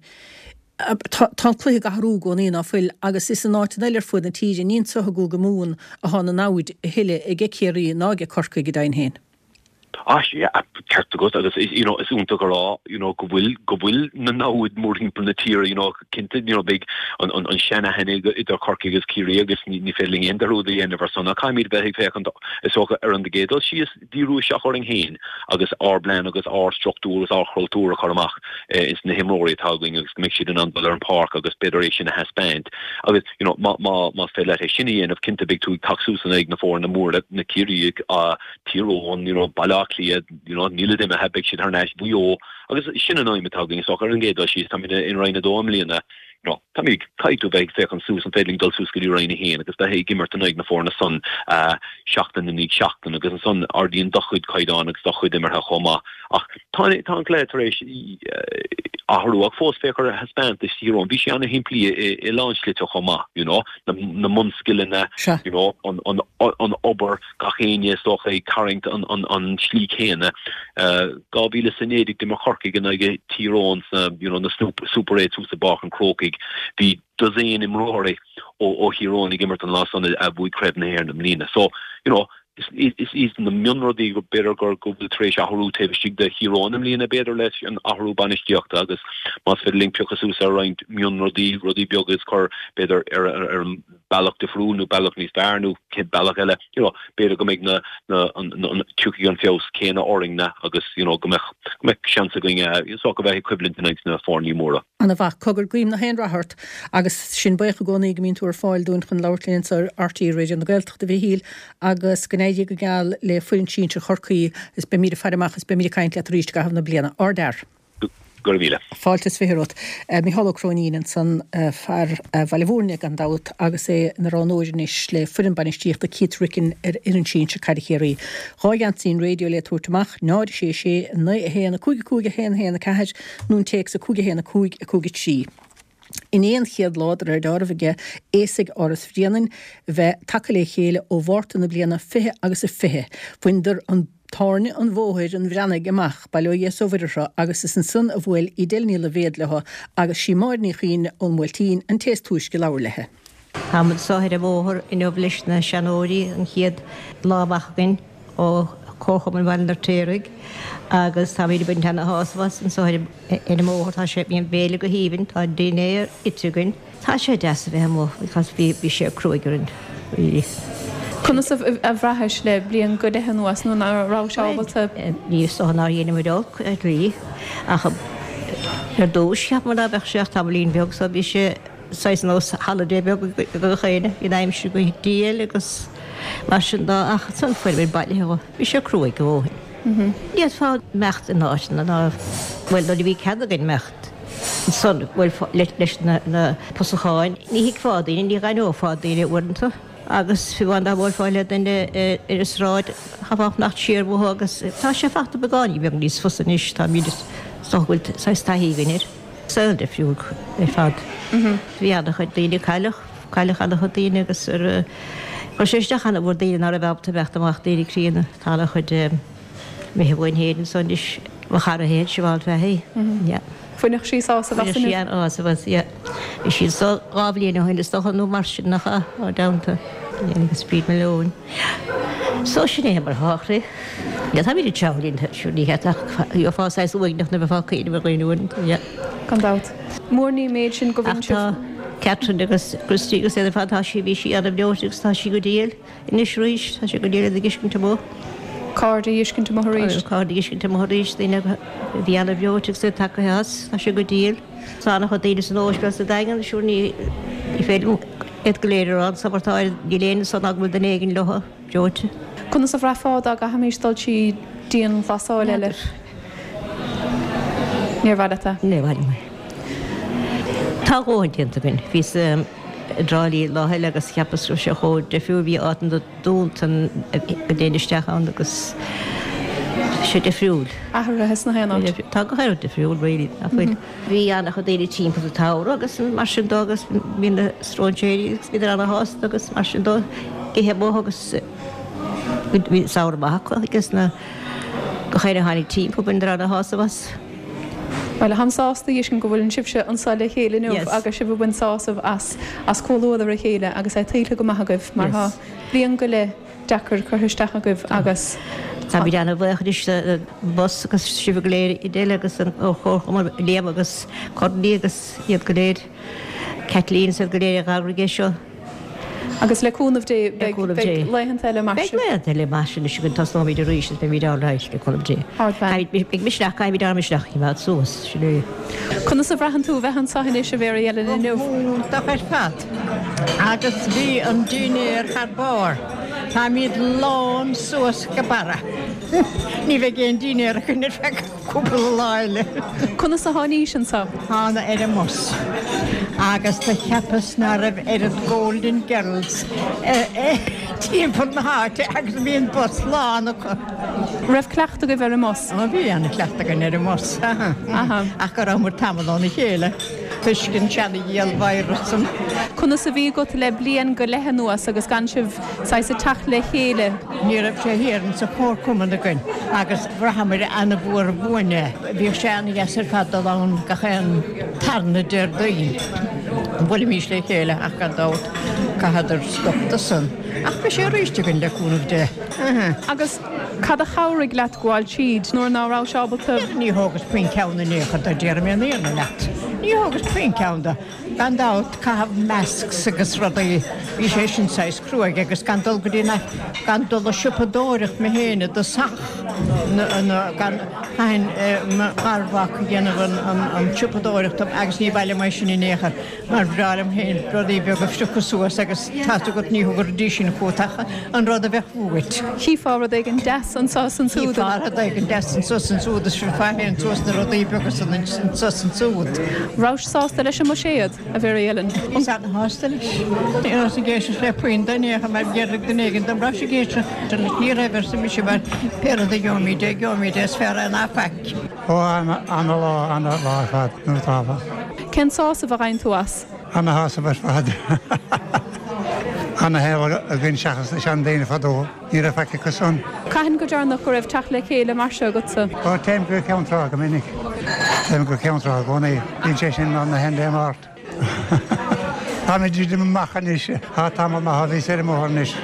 A: Tá an cluiche ag athrú i gcónaí, ná fuil, agus is in áiteanna eile ar fuaid na tíre, ní anso i gCúige Mumhan atá na namhaid a thuilleadh aige Ciarraí ná aige Corcaigh go deimhin féin.
D: Ah sea, ceart agat agus you know is iontach a rá you know go bhfuil go bhfuil na namhaid mórthimpeall na tíre you know cinnte you know beidh an an an seanaithne idir Corcaigh agus Ciarraí agus ní ní féidir linn aon dearúd a dhéanamh ar san ach caithfimid bheith ag féachaint is dócha ar an gcéad dul síos díriú isteach orainn féin agus ár bplean agus ár struchtúr agus ár chultúr a chur amach ins na himreoirí atá againn agus go mbeidh siad in ann dul ar an pháirc agus b'fhéidir é sin a thaispeáint agus you know má má más féidir leat é sin a dhéanamh cinnte beidh tú ag teacht suas in aghaidh na foirne móra na Ciarraígh Tír Eoghain you know Baile Átha Cliath you know nílid imithe beidh siad thar n-ais Mhaigh Eo agus sin an aidhm atá againn is dócha ar an gcéad dul síos táimid in Roinn 2 i mbliana No, táimid, caithfidh tú bheith ag féachaint suas, an féidir linn dul suas go dtí Roinn 1 agus bheith ag imirt in aghaidh na foirne san seachtain i ndiaidh seachtain agus ansan ardaíonn do chuid caighdeán agus do chuid imeartha chomh maith. Ach tá, tá an cluiche tar éis athrú ach fós féach ar thaispeántas Thír Eoghain, bhí sé ana-shimplí i, i lán slite chomh maith, you know, na, na mbunscileanna, you know, an, an, an obair, gach éinne is dócha ag tarraingt an, an, an slí céanna. 2019 d'imir Corcaigh in aghaidh Thír Eoghain sna you know na Super Eights thuas i bPáirc an Chrócaigh. Bhí dosaen imreoirí ó Thír Eoghain ag imirt an lá san a bhuaigh Craobh na hÉireann i mbliana. So, you know, is iad na mionrudaí go b'fhéidir gur go bhfuil tar éis athrú taobh istigh de Thír Eoghain i mbliana b'fhéidir leis an athrú bainistíochta agus más féidir linn piocadh suas ar roinnt mionrudaí, rudaí beaga is cur b'fhéidir ar ar an bealach difriúil nó bealach níos fearr nó cén bealach eile, you know, b'fhéidir go mbeidh na, na, an, an, tiocfaidh an feabhas céanna orainn-ne agus, you know, go mbeadh, go mbeadh seans againn, eh, is dócha bheith ag coimhlint in aghaidh na foirní móra.
A: Ana mhaith. Cogar, guím nach aon rath ort agus sinn buíoch i gcónaí go mbíonn tú ar fáil dúinn chun labhairt linn anseo ar RTÉ Raidió na Gaeltachta, a Mhichíl, agus go n-éirí go geal le foireann sinsir Chorcaí is beimid ag faire amach is beimid ag caint leat arís i gcaitheamh na bliana. Ardfhear.
D: Go raibh míle.
A: Fáilte is 20 romhat. Micheál Ó Cróinín ansan, fear Bhaile Mhúirne gan dabht agus é ina roghnóir anois le foireann bainistíochta Keith Ricken ar fhoireann sinsir caide Chiarraí. 2 gheansaí an raidió le tabhairt amach, 0 6 6 9 1 5 5 1 1 4 nó an téacs 5 1 5 5 3. Inné an chéad lá de réir deáraimh aige aosaigh Áras Bhréanainn bheith tagtha le chéile ó Mhárta na bliana 20 agus a 20. Bhaineadar an tairne an bhóthair an Bhreathnaigh amach, bail ó Dhia is ó Mhuire orthu, agus is ansan a bhuail Edel Ní Loibhéad leo agus sí Máire Ní Chuinn ón mBuailtín an té is túisce labhair léi.
E: Táimid anso ar an bhóthar inniu leis na seanóirí, an chéad lá amach againn ó. Comharchumann Bhaile an Fheirtéaraigh agus táimid ag baint ana-shásamh as anseo ar an mbóthar. Tá sé, bhí an béile go haoibhinn, tá an dinnéar ite againn. Tá sé deas a bheith amuigh because bhí, bhí sé cruaidh orainn really.
F: Conas a bhraithis le bliain go leith anuas nuair ná rabhais ábalta?
E: Ní is dócha nár dheineamar olc ar shlí ach ar dtús cheapamar ná beadh sé ach tamaillín beag so bhí sé saghas nós holiday beag ag gach éinne, bhí an aimsir go diail agus mar sin dó ach ansan fuaireamar bailithe dhó. Bhí sé cruaidh a dhóthain. Ní fhéadfá imeacht in áiteanna ná, bhuel nuair a bhí cead againn imeacht ansan, bhuel leis na pusacháin, ní thuigfeá daoine, ní dh'aithneofá daoine uaireanta agus fiú amháin dá mbuailfeá le duine ar an sráid, chaithfeá fanacht siar uathu agus tá sé fachta beagáinín beag níos fusa anois, táimid, is dócha go bhfuil saghas taithí againn air. Saol difriúil ar fad. Bhí an-chuid daoine, cailleadh, cailleadh an-chuid daoine agus ar, chuir sé isteach an-mhór daoine ná raibh ábalta imeacht amach, daoine críonna. Tá an-chuid imithe uainn féin anso anois, mo chara féin, Siobhán Fahy, yeah.
F: Bhainfeadh sí sásamh as
E: Bhainfeadh sí an-shásamh as, yeah. Bhí sí anso 2 bhliain ó shin is dócha nó mar sin, nach ea? Ár dteannta. Yeah, agus Bríd Malone. Yeah. So sin é mar atá, a chroí. Yeah, táimid ag teann linn, sure ní cheart ach gheofá saghas uaigneach nuair a bheifeá ag cuimhneamh ar dhaoine uaireanta, yeah.
F: Gan dabht. Mór ní méid sin go
E: Ach
F: bhfuil sibh.
E: tá Catherine agus Christy agus iad ar fad, tá sí, bhí sí an-bhreoite agus tá sí go diail. Anois arís, tá sé go diail iad ag fheiscint amuigh.
F: Cairde a fheiscint amuigh arís.
E: Cairde a fheiscint amuigh arís, daoine a bhí an-bhreoite agus iad tagaithe as, tá sé go diail. Tá an-chuid daoine san ospidéal sa Daingean, siúr ní féidir liom iad go léir a rá anso mar tá, níl éinne anso ná go bhfuil duine éigin leo, breoite.
F: Conas a bhraithfeá dá gcaithfimis dul trí dianghlasáil eile? Níor mhaith leat é?
E: Níor mhaith liom é. Tá a dhóthain déanta againn. Bhíos i dTrá Lí lá eile agus cheapas go raibh sé chomh difriúil, bhí áiteanna dúnta go dtéinn isteach ann agus tá sé difriúil.
F: Athraithe sna haon áit.
E: Tá gach aon rud difriúil really, nach bhfuil? Bhí an-chuid daoine timpeall sa tsamhradh agus mar sin dó agus bhí na stróinséirí agus bhíodar ana-shásta agus mar sin dó, ithe amuigh agus bhí samhradh maith acu agus na gach éinne a tháinig timpeall bhaineadar ana-shásamh as.
F: Bhuel, táim sásta a fheiscint go bhfuileann sibhse anseo le chéile inniu agus sibh ag baint sásamh as as comhluadar a chéile agus é tuillte go maith agaibh mar tá bliain go leith deacair curtha isteach agaibh agus
E: Táimid an-bhuíoch anois don bhus agus sibh go léir Edel agus an Chomharchumann Liam agus Courtney agus iad go léir, Kathleen is iad go léir a d'eagraigh é seo.
F: Agus le cúnamh Dé beidh laethanta eile mar
E: sin. Beidh laethanta eile mar sin anois againn, tosnóimid arís agus beimid all right, le cúnamh Dé.
F: Ardbhean.
E: Beidh misneach, caithfimid ár misneach a choimeád suas, sin é.
F: Conas a bhraitheann tú a bheith anseo anois, a Mhary Ellen, inniu?
G: Go hiontach ar fad. Agus bhí an dinnéar thar barr. Táimid lán suas go barra. Ní bheidh aon dinnéar againn ar feadh. Cúpla lá eile.
F: Conas a tháinís anso?
G: Thána ar an mbus agus do cheapas ná raibh oiread Golden Girls timpeall na háite agus bhí an bus lán acu.
F: Raibh cleachtadh agaibh ar an mbus?
G: Ó bhí ana-chleachtadh againn ar an mbus, ach go rabhamar tamall óna chéile toisc an seana-dhiabhal virus san.
F: Conas a bhí agat le bliain go leith anuas agus gan sibh saghas ag teacht le chéile?
G: Ní raibh sé thiar insa chomharchumann againn agus bhraitheamair ana-mhór uainn é. Bhíodh sé ana-dheas ar fad dul ann gach aon tarna Déardaoin. Bhuailimís le chéile ach gan dabht chaitheadar stop de san. Ach beidh sé aríst againn le cúnamh Dé.
F: Agus cad a chabhraigh leat gabháil tríd nuair ná rabhais ábalta?
G: Ní thógas puinn ceann in aon chor dó, déarfaidh mé an fhírinne leat. Ní thógas puinn ceann dó. Gan dabht, caitheamh masks agus rudaí, bhí sé sin saghas cruaidh agus gan dul go dtí na, gan dul a siopadóireacht mé féin i dtosach, na, gan, chaithfinn mo gharmhac a dhéanamh an, an, an tsiopadóireacht dom agus ní mhaith liom é sin in aon chor mar bhreá liom féin rudaí beaga a phriocadh suas agus tá's agat ní thabharfaidís sin chugat ach an rud a bheadh uait.
F: Chífeá rud éigin deas anso is ansúd.
G: Chífeá rud éigin deas anso is ansúd is phriocfá féin suas na rudaí beaga san anso is ansúd.
F: Rabhais sásta leis an mbuiséad, a Mhary Ellen?
G: Bhíos an-shásta leis. Ní rabhas ag éisteacht le puinn de in aon chor mar déarfadh duine éigin dom rabhais ag éisteacht leis. Ní raibh, arsa mise, mar pé rud a gheobhaimid é, gheobhaimid é, is fearr é ná faic.
H: Ó, ana-lá, ana-lá ar fad, nó tábla.
F: Cén sásamh a fhaigheann tú as?
H: Ana-shásamh ar fad. Ana-shaol againn seachas na seandaoine fadó. Ní raibh faic acu san.
F: Cathain go deireanach go raibh teacht le chéile mar seo agatsa?
H: Ó, téim go Ceann Trá go minic. Téim go Ceann Trá i gcónaí. Bíonn sé sin ann na haon Dé Máirt. Táimid ag dul amach anois. Tá tamall maith ó bhíos ar an mbóthar anois.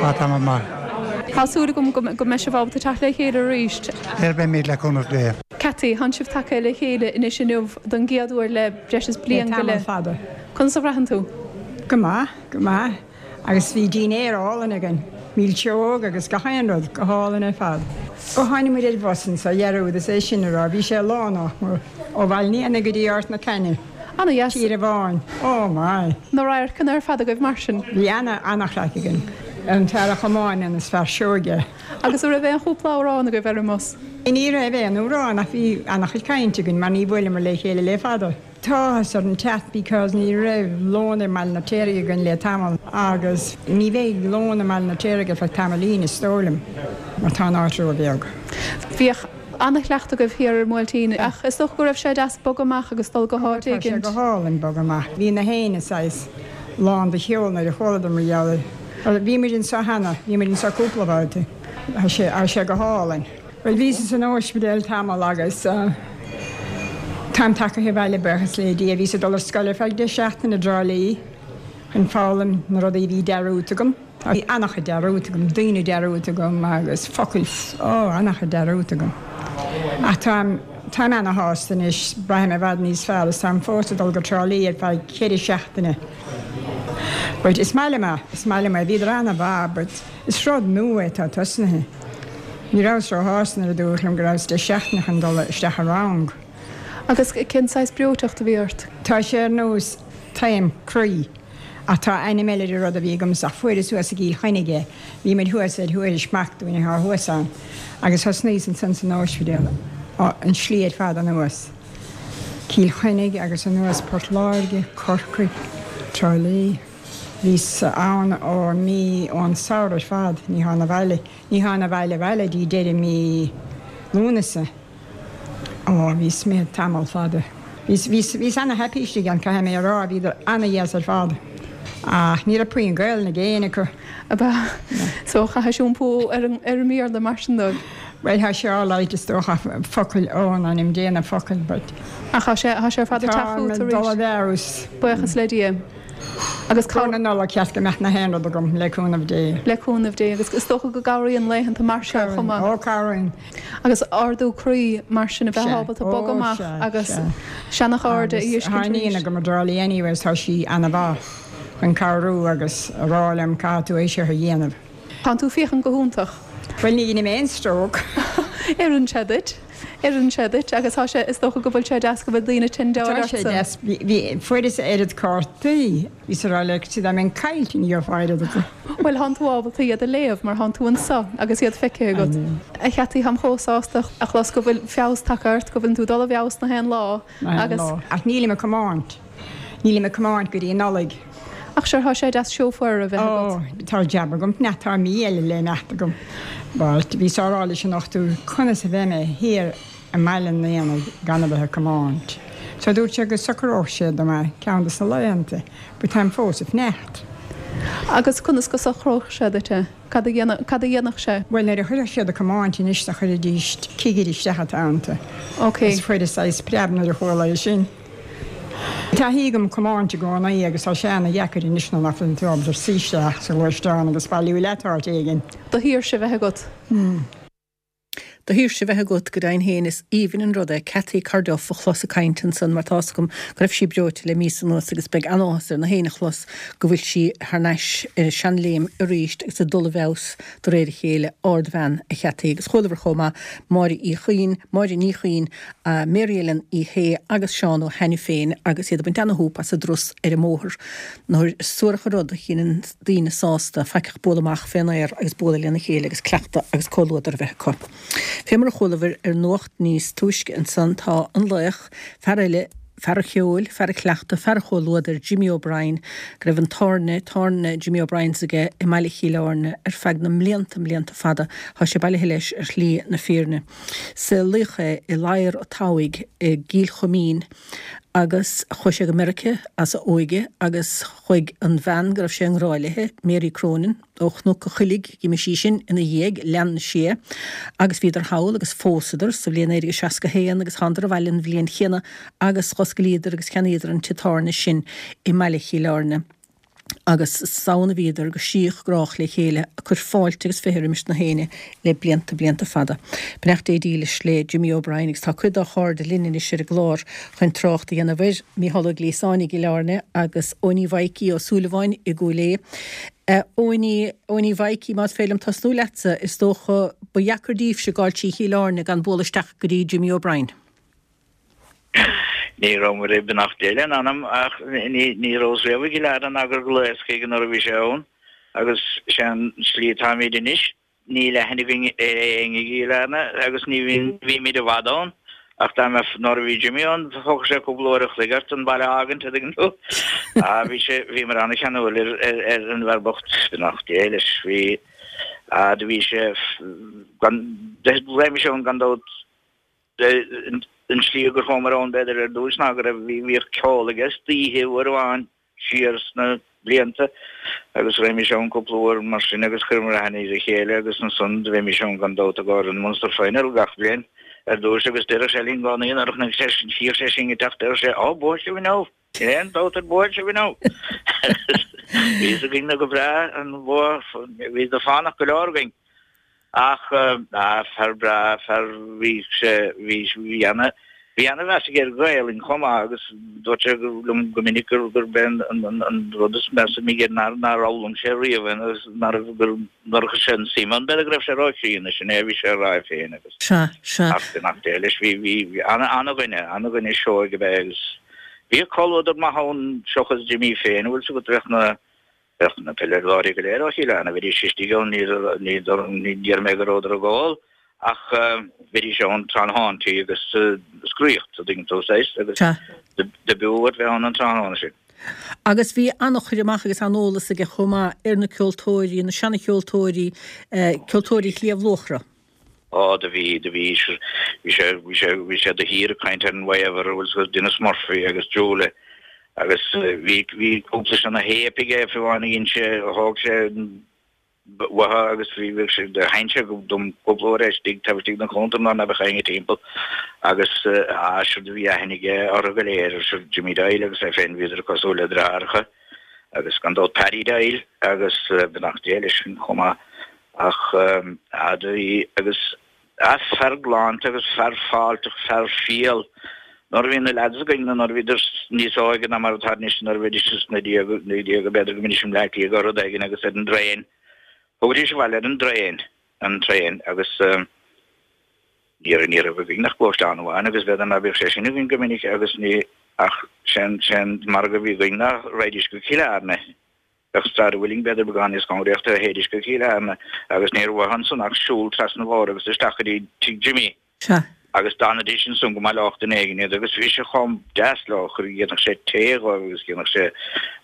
H: Tá tamall maith.
F: Tá súil agam go mbeidh sibh ábalta teacht le chéile arís.
H: Ar beimid le cúnamh Dé.
F: Cathy, Tánn sibh tagtha le chéile anois inniu don gcéad uair le breis is bliain go leith.
I: Le tamall fada.
F: Conas a bhraitheann tú?
I: Go maith, go maith. Agus bhí dinnéar álainn againn. Milseog agus gach aon rud, go hálainn ar fad. Ó tháinig muid ar bhus anso dhearúd is é sin a rá, bhí sé lán ach mór. Ó Bhaile an Éanaigh go dtí Ard na Caithne.
F: Ana-dheas.
I: Tír amháin. Oh my!
F: Na radharcanna ar fad agaibh mar sin.
I: Bhí ana, ana-chraic againn. An fear a chomáineann is fear seoigh é.
F: Agus an raibh aon chúpla amhrán agaibh ar an mbus?
I: Ní raibh aon amhrán ach bhí ana-chuid cainte againn mar ní bhuaileamar le chéile le fada. Tá áthas orm teacht because ní raibh lón i mBaile an Fheirtéaraigh againn le tamall agus ní bheidh lón i mBaile an Fheirtéaraigh ar feadh tamaillín is dóigh liom mar tá an áit ró-bheag.
F: Bhíodh ana-chleachtadh agaibh thiar ar an mBuailtín ach is dócha go raibh sé deas bogadh amach agus dul go háit
I: Tá sé
F: éigint.
I: go hálainn bogadh amach. Bhí na héinne saghas lán de cheol nuair a chualadar mar gheall air. Bhí muid anseo cheana, bhí muid anseo cúpla babhta. Tá sé, tá sé go hálainn. Bhuel, bhíos san ospidéal tamall agus táim tagaithe abhaile, buíochas le Dia. Bhíos ag dul ar scoil ar feadh deich seachtaine i dTrá Lí chun foghlaim na rudaí a bhí dearúdta agam. Tá an-chuid dearúdta agam, daoine dearúdta agam agus focail, ó, an-chuid dearúdta agam. Ach táim, táim ana-shásta anois, braithim i bhfad níos fearr is táim fós ag dul go Trá Lí ar feadh cheithre seachtaine. But is maith liom é, is maith liom é. Bhíodar ana-mhaith but. Is rud nua é atá tosnaithe. Ní rabhas ró-shásta nuair a dúradh liom go rabhas deich seachtaine chun dul isteach i rang.
F: Agus cén saghas breoiteacht a bhí ort?
I: Tá sé ar nós taom croí ach tá ainm eile ar an rud a bhí agamsa ach fuaireas thuas i gCill Chainnigh é. Bhí muid thuas ar Thuairisc mac dúinn atá thuas ann agus thosnaíos ansan san óispidéal an slí ar fad anuas. Cill Chainnigh agus anuas Port Láirge, Corcaigh, Trá Lí. Bhíos ann ó mí ón samhradh ar fad, ní thána abhaile, ní thána abhaile abhaile dtí deireadh mí Lúnasa. Ó, bhíos imithe tamall fada. Bhíos, bhíos, bhíos ana-happy istigh ann, caithfidh mé a rá, bhíodar ana-dheas ar fad. Ach ní raibh puinn Gaelainn ag éinne acu.
F: Ab ea? So chaithis iompú ar an, ar an mBéarla mar sin dóibh?
I: Bhuel, tá sé alright is dócha, focail, ó, in ainm Dé na focail, but.
F: Ach tá sé, tá sé ar fad ag teacht
I: chugat arís. Tá mé ag dul i bhfeabhas.
F: Buíochas le Dia. Agus
I: cá. Na Nollag ceart go mbeadh na haon rud agam, le cúnamh Dé.
F: Le cúnamh Dé. Agus is dócha go gcabhraíonn laethanta mar seo chomh maith.
I: Ó, cabhraíonn.
F: Agus ardú croí mar sin a bheith ábalta bogadh amach agus seana-chairde a fheiscint
I: arís. Tá iníon agam i dTrá Lí anyways, tá sí ana-mhaith chun cabhrú agus a rá liom caithfidh tú é seo a dhéanamh.
F: Tánn tú féachaint go hiontach.
I: Bhuel ní dheinim aon stroke.
F: Oireann sé duit. Oireann sé duit agus tá sé, is dócha go bhfuil sé deas go bhfuil daoine ag tendeáil
I: ortsa. Tá sé deas. Bhí, fuaireas oiread cártaí. Bhíos ag rá le Christy dá mbeinn caillte ní gheofá oiread acu.
F: Bhuel thánn tú ábalta iad a léamh mar thánn tú anso agus iad feicthe agat. A Cheataí, táim chomh sásta a chlos go bhfuil feabhas tagtha ort, go bhfuileann tú ag dul i bhfeabhas na haon lá
I: agus. Na haon lá. Ach nílim ag comáint. Nílim ag comáint go dtí Nollaig.
F: Ach sure, tá sé deas seofar a bheith agat.
I: Ó, tá jab agam, nach tá mí eile le imeacht agam. But bhíos á rá leis an dochtúir conas a bheidh mé thiar i mBaile an Éanaigh gan a bheith ag comáint. So dúirt sé go socródh sé dom é ceann de sna laethanta, but táim fós ag fanacht.
F: Agus conas go socródh sé duit é? Cad a dhéanfadh, cad a dhéanfadh sé?
I: Bhuel, nuair a chuirfeadh siad ag comáint anois do chuiridís cigire isteach iontu.
F: Ok.
I: Is fuaireas saghas preab nuair a chuala é sin. Taithí agam comáint i gcónaí agus tá sé ana dheacair anois nuair nach bhfuil tú ábalta suí isteach sa ghluaisteán agus bailiú leat áit éigin.
F: Do shaoirse a bheith agat.
A: Do shaoirse a bheith agat, go deimhin féin is aoibhinn an rud é Cathy Carduff a chlos ag caint ansan mar tá's agam go raibh sí breoite le míosa anuas agus beidh an-áthas ar na héinne a chlos go bhfuil sí thar n-ais ar a seanléim arís agus ag dul i bhfeabhas de réir a chéile. Ardbhean a Chathy agus chualabhair chomh maith Máire Uí Chuinn, Máire Ní Chuinn, Mary Ellen Uí Shé agus Seán Ó hAiniféin agus iad ag baint ana-shúp as an dturas ar an mbóthar. Nuair is suarach an rud a dheineann daoine sásta faic ach bualadh amach fén aer agus bualadh lena chéile agus cleachtadh agus comhluadar a bheith acu. Fé mar a chualabhair ar nuacht níos túisce ansan tá an laoch, fear eile, fear an cheoil, fear an chleachtaidh, fear an chomhluadair, Jimmy O'Brien, go raibh an tábhairne, tábhairne Jimmy O'Brien's aige i mbaile Chill Airne ar feadh na mblianta, mblianta fada. Tá sé bailithe leis ar shlí na fírinne. Saolaíodh é i Ladhar a' Tobhaigh i gCill Choimín agus chuaigh sé go Meirice as a óige agus chuaigh an bhean go raibh sé i ngrá léithe, Mary Cronin, ó Chnoc a' Choilligh, d'imigh sí sin ina dhiaidh, lean sí é agus bhíodar thall agus phósadar sa bhliain 1961 agus thánadar abhaile an bhliain chéanna agus dh'oscailíodar agus cheannaíodar an tigh tábhairne sin i mbaile Chill Airne. Agus is ann a bhíodar go síothghrách le chéile, ag cur fáilte agus 20 roimis na héinne le blianta, blianta fada. Beannacht Dé dílis le Jimmy O'Brien agus tá cuid dá chairde linn anois ar an gclár chun trácht a dhéanamh air, Mícheál Ó Gliasáin i gCill Airne agus Eoiní Mhaidhcí Ó Súilleabháin i gCúil Aodha. Eoiní, Eoiní Mhaidhcí, más féidir liom tosnú leatsa, is dócha ba dheacair daoibhse gabháil trí Chill Airne gan bualadh isteach go dtí Jimmy O'Brien.
J: Ní rabhamar ag beannacht Dé lena anam ach ní rabhas riamh i gCill Airne ná gur ghlaos chuige nuair a bhí sé ann agus sé an tslí atáimid anois, níl aithne againn ar éinne i gCill Airne agus ní bhímid i bhfad ann ach dá mbeadh nuair a bhí Jimmy ann thógfadh sé cúpla uair a chloig ort an baile a fhágaint a dtuigeann tú. Ah bhí sé, bhíomar an-cheanúil ar ar an bhfear bocht, beannacht Dé leis, bhí, ah do bhí sé gan, raghaimís ann gan dabht An tslí gur chuamar ann b'fhéidir ar dtús ná go raibh, bhíodh ceol aige istoíche uair amháin siar sna blianta agus raghaimís ann cúpla uair mar sin agus chuireamar aithne ar a chéile agus ansan do bheimis ann gan dabht i gcomhair an Munster Final gach bliain ar dtús agus deireadh sé linn i gcónaí nuair a chonaic sé, chíodh sé sinn ag teacht deireadh sé, Ó, buafaidh sibh inniu! Níl aon dabht air buafaidh sibh inniu! Bhí fhios againn go breá an bua, bhí de fánach go leor againn. Ach, ah, fear breá, fear, bhí sé, bhí, bhí ana, bhí ana mheas aige ar Ghaelainn chomh maith agus dúirt sé liom go minic gur, gurb é an, an, an rud is measa a bhí aige nár, nár fhoghlaim sé riamh é agus nár, gur, nár chuir sé an suim ann, b'fhéidir go raibh sé ró-chríonna, sin é a bhí sé a rá é féin agus.
A: Sea, sea.
J: Ach beannacht Dé leis, bhí, bhí, bhí ana, ana dhuine, ana dhuine seoigh ab ea é agus bhíodh comhluadar maith ann seochas Jimmy féin, bhfuil 's agat, bheadh na, Bheadh na peileadóirí go léir ó Chill Airne, bheidís istigh ann, ní deir mé go rabhadar ag ól, ach bheidís ann tráthnóntaí agus scraíocht, a dtuigeann tú, saghas, agus do b'fhiú a bheith ann an tráthnóna sin.
A: Agus bhí an-chur amach agus an-eolas aige chomh maith ar na ceoltóirí, na seana-cheoltóirí, ceoltóirí Shliabh Luachra.
J: Á, do bhí, do bhí, bhí sé, bhí sé, bhí sé de shíor ag caint ar an Waiver, bhfuil 's agat, Denis Murphy agus Julie agus bhí, bhí cúpla seana-théip aige fiú amháin a dhein sé, a thóg sé uathu agus bhí, bhí sé, do sheinn sé dom cúpla uair é istigh, taobh istigh den chuntar nuair ná beadh éinne timpeall agus á, sure do bhí aithne aige orthu go léir, sure Jimmy Doyle agus é féin, bhíodar cosúil le deartháireacha agus gan dabht Paddy Doyle agus beannacht Dé leis chomh maith. Ach do bhí, agus fear galánta agus fear fáilteach, fear fial. Nuair a bhí na leaids againn, nó nuair a bhíodar níos óige ná mar atá anois, nuair a bhídís sna déaga, b'fhéidir go mbídís i mBleá Cliath nó rud éigin agus ar an dtraein, thugaidís abhaile ar an dtraein, an traein agus ní raibh, ní raibh againn ach gluaisteán amháin agus b'fhéidir ná bíodh sé sin againn go minic agus ní, ach sé'n, sé'n margadh a bhí againn ná raghaidís go Cill Airne. Bheadh Sráid an Mhuilinn b'fhéidir beagán níos cóngaraí ach do théidís go Cill Airne agus ní raibh uathu ansan ach siúl trasna an bhóthair agus isteach go dtí tigh Jimmy.
A: Sea.
J: Agus d'fhanaidís ansan go mba lách duine éigin iad agus bhí sé chomh deas leo, chuir, dhéanfadh sé tae dhóibh agus dhéanfadh sé,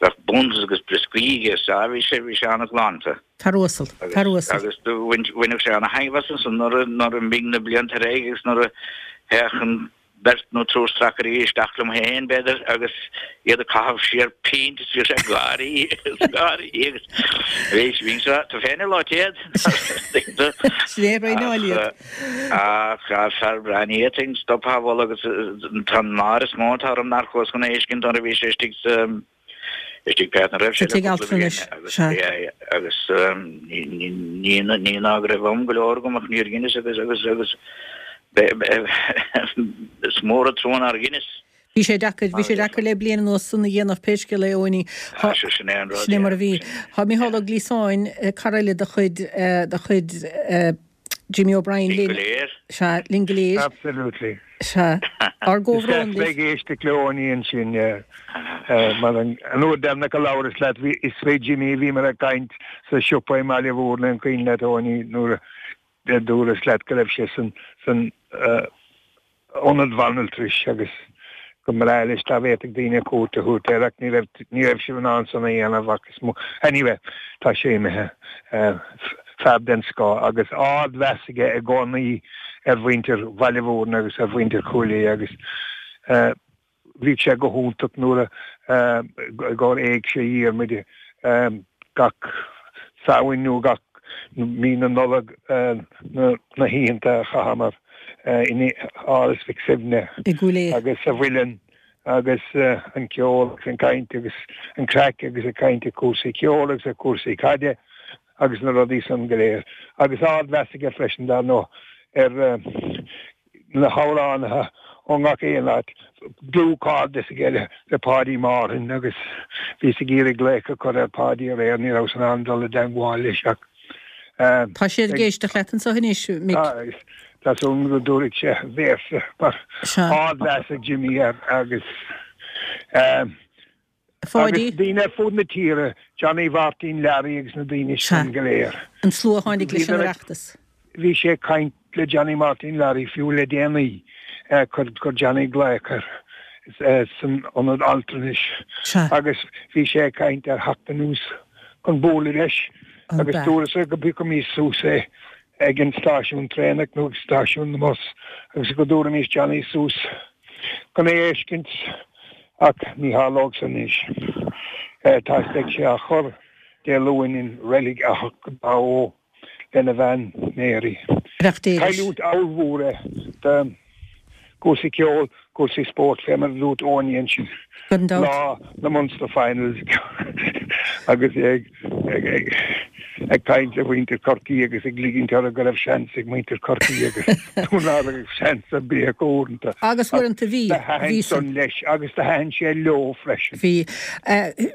J: bheadh buns agus brioscaí aige, sea, bhí sé, bhí sé an-ghalánta.
A: Fear uasal, fear uasal.
J: Agus do bhain, bhaineadh sé ana-thaitneamh as ansan nuair a, nuair a d'imigh na blianta ar aghaidh agus nuair a théadh an, beirt nó triúr stracairí isteach liom féin, b'fhéidir, agus iad ag caitheamh siar pínt is bhíodh sé ag gáirí is ag gáirí agus bhí bhí sé tú féin ar lá téad.
A: Sin é raonáil iad.
J: Ach fear breá ní fhéadfainn stop á mholadh agus tá an náire is mó atá orm nár chuas chun a fheiscint nuair a bhí sé istigh sa Istigh pé áit a raibh sé
A: le cúpla bliain
J: agus agus ní ní ná go raibh am go leor agam ach níor dheineas agus agus agus is mór an trua nár dheineas.
A: Bhí sé deacair, bhí sé deacair le bliain anuas san a dhéanamh pé scéal é Eoiní.
J: Sin é an rud.
A: Sin é mar a bhí. Tá Micheál Ó Gliasáin, cara eile de chuid de chuid Jimmy O'Brien
J: linn. Linn go léir.
A: Sea, linn go léir.
H: Absolutely.
A: Sea. Ár gcomhbhrón
H: libh. Is deas bheith ag éisteacht le Eoiní ansin, yeah. Mar an uair deireanach a labhras leat, bhí, is fé Jimmy a bhíomar ag caint sa siopa i mBaile Mhúirne, an cuimhin leat, Eoiní, nuair a dúras leat go raibh sé san, san, ionad bhanaltrais agus go mbreá leis dá bhféadfadh daoine cuairt a thabhairt air ach ní raibh ní raibh sibh in ann san a dhéanamh ach is mó anyway tá sé imithe. Fear den scoth agus ard-mheas aige i gcónaí ar mhuintir Bhaile Mhúirne agus ar mhuintir Chúil Aodha agus Bhíodh sé go hiontach nuair a i gcomhair Éigse Dhiarmuid gach Samhain nó gach mí na Nollag na hoícheanta a chaitheamar in Áras Mhic Suibhne
A: I gCúil
H: Aodha. agus sa Mhuileann. Agus an ceol agus an caint agus an craic agus ag caint ar cúrsaí ceoil agus ar cúrsaí caide agus na rudaí san go léir. Agus ardmheas aige freisin, dar ndóigh, ar na hamhránaithe ó ngach aon áit. Dlúthchairdeas aige le Páidí Martin agus bhíos ag iarraidh glaoch a chur ar Pháidí aréir, ní rabhas in ann dul i dteangmháil leis ach.
A: Tá siad ag éisteacht leat anseo anois, Mick.
H: Tá súil agam go dtabharfaidh sé véarsa mar ardmheas ag Jimmy air agus
A: Pháidí.
H: Agus daoine ar fud na tíre, Johnny Mhartin Learaí agus na daoine sin go léir.
A: An slua a tháinig leis an Oireachtas.
H: Bhí sé ag caint le Johnny Martin Learaí fiú le déanaí. Chuir Johnny glaoch air san ionad altranais agus bhí sé ag caint ar theacht anuas chun bualadh leis agus dúras-sa go bpiocfaimis suas é ag an stáisiún traenach nó ag stáisiún na mbus agus go dtabharfaimis Johnny suas chun é a fheiscint ach ní tharlóidh san anois. Tá beidh sé á chur Dé Luain in Reilig Achadh Dá Bhó lena bhean Mary. Cailliúint ollmhór é do chúrsaí ceoil, cúrsaí spóirt, fé mar a dúirt Áine ansin lá na Munster Finals agus é ag caint le muintir Chorcaí agus ag ligint orthu go raibh seans ag muintir Chorcaí agus ná raibh seans ar bith acu
A: uaireanta. Agus uaireanta bhí.
H: Do thaitin san leis agus do thaitin sé leo freisin.
A: Bhí.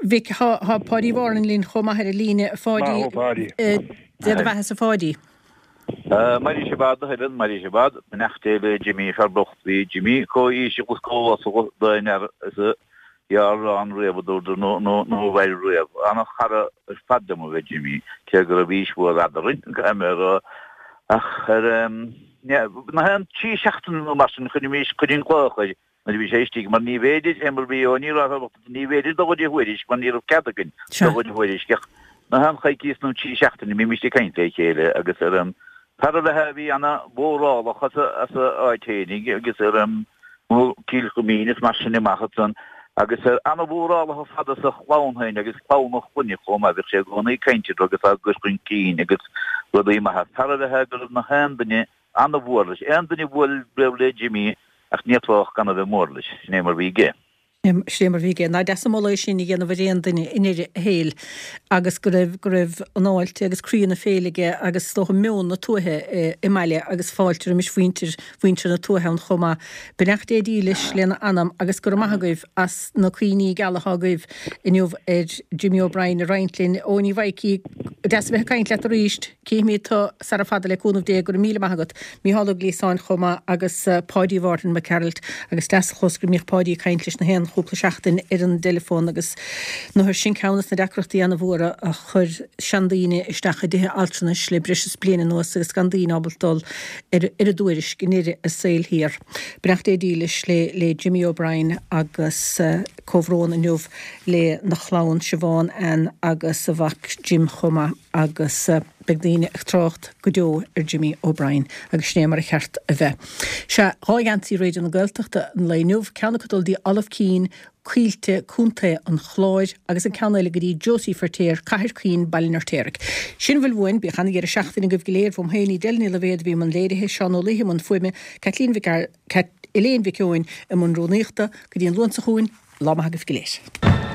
A: Mhic, tá Páidí Mharlin linn chomh maith ar an líne. A Pháidí.
H: Maith thú Páidí.
A: Dé do bheatha-sa a Pháidí.
K: Mairfidh sibh fhad, a Helen, mairfidh sibh fhad. Beannacht Dé le Jimmy, fear bocht. Bhí Jimmy chomh íseal agus chomh uasal d'aon fhear is a ghearr ann riamh, a dúradar, nó a mhair riamh. Ana-chara ar fad liom ab ea Jimmy, cé go raibh aois mhór eadrainn, caithfidh mé a rá. Ach ar, na haon trí seachtaine nó mar sin, chuirimís, chuirfinn glaoch air nuair a bhí sé istigh, mar ní bhféidir, fé mar a bhí ó ní raibh ní bhféidir dul go dtí Thuairisc mar ní raibh cead againn dul go dtí Thuairisc ach na haon choicíos nó trí seachtaine bhímist ag caint le chéile agus ar an fear ab ea é a bhí ana mhórálach as a as a áit fhéinig agus ar an Cill Chuimín is mar sin amach ansan agus ar ana mhórálach ar fad as a chlann féin agus clann a chlainne chomh maith bhíodh sé i gcónaí ag caint orthu agus á gcur chun cinn agus rudaí maithe. Fear ab ea é go raibh na haon duine Ana-mhór leis. Aon duine a bhuail riamh le Jimmy ach ní fhéadfá ach gan a bheith mór leis. Sin é mar bhí aige.
A: Sin é mar bhí aige. Nach deas an moladh é sin a dhéanamh ar aon duine i ndeireadh a shaoil agus go raibh, go raibh an fháilte agus croí na féile aige agus is dócha meon na tuaithe i mbaile agus fáilte roimis mhuintir, mhuintir na tuaithe ann chomh maith. Beannacht Dé dílis lena anam agus go raibh maith agaibh as na cuimhní geala atá agaibh inniu ar Jimmy O'Brien a roinnt linn. Eoiní Mhaidhcí, deas a bheith ag caint leat arís. Cífimid tú sara fada le cúnamh Dé, go raibh míle maith agat. Mícheál Ó Gliasáin chomh maith agus Páidí Mhárthain Mac Gearailt agus deas a chlos go mbíodh Páidí ag caint leis na haon chúpla seachtain ar an dteileafón agus nuair sin ceann des na deacrachtaí ana-mhóra a chuir seandaoine isteach i dtithe altranais le breis is bliain anuas agus gan daoine ábalta dul ar ar a dtuairisc i ndeireadh a saoil thiar. Beannacht Dé dílis le le Jimmy O'Brien agus comhbhrón inniu le na chlann Siobhán, Ann agus a mhac Jim chomh maith. agus beidh daoine ag trácht go deo ar Jimmy O'Brien agus sin é mar a cheart a bheith. Sea, dhá gheansaí Raidió na Gaeltachta an lae inniu, ceann acu ag dul dtí Olive Keane, Coillte, Co. an Chláir agus an ceann eile go dtí Josie Feirtéar, Cathair Chaoin, Baile an Fheirtéaraigh. Sin a bhfuil uainn, bíodh ana-dheireadh seachtaine agaibh go léir, uaim féin, Edel Ní Loibhéad a bhí i mbun léirithe, Seán Ó Laoithe i mbun fuaime, Caitlín Mhic Cat Elaine Mhic Eoin i mbun rúnaíochta, go dtí an Luan seo chugainn, lá maith agaibh go léir.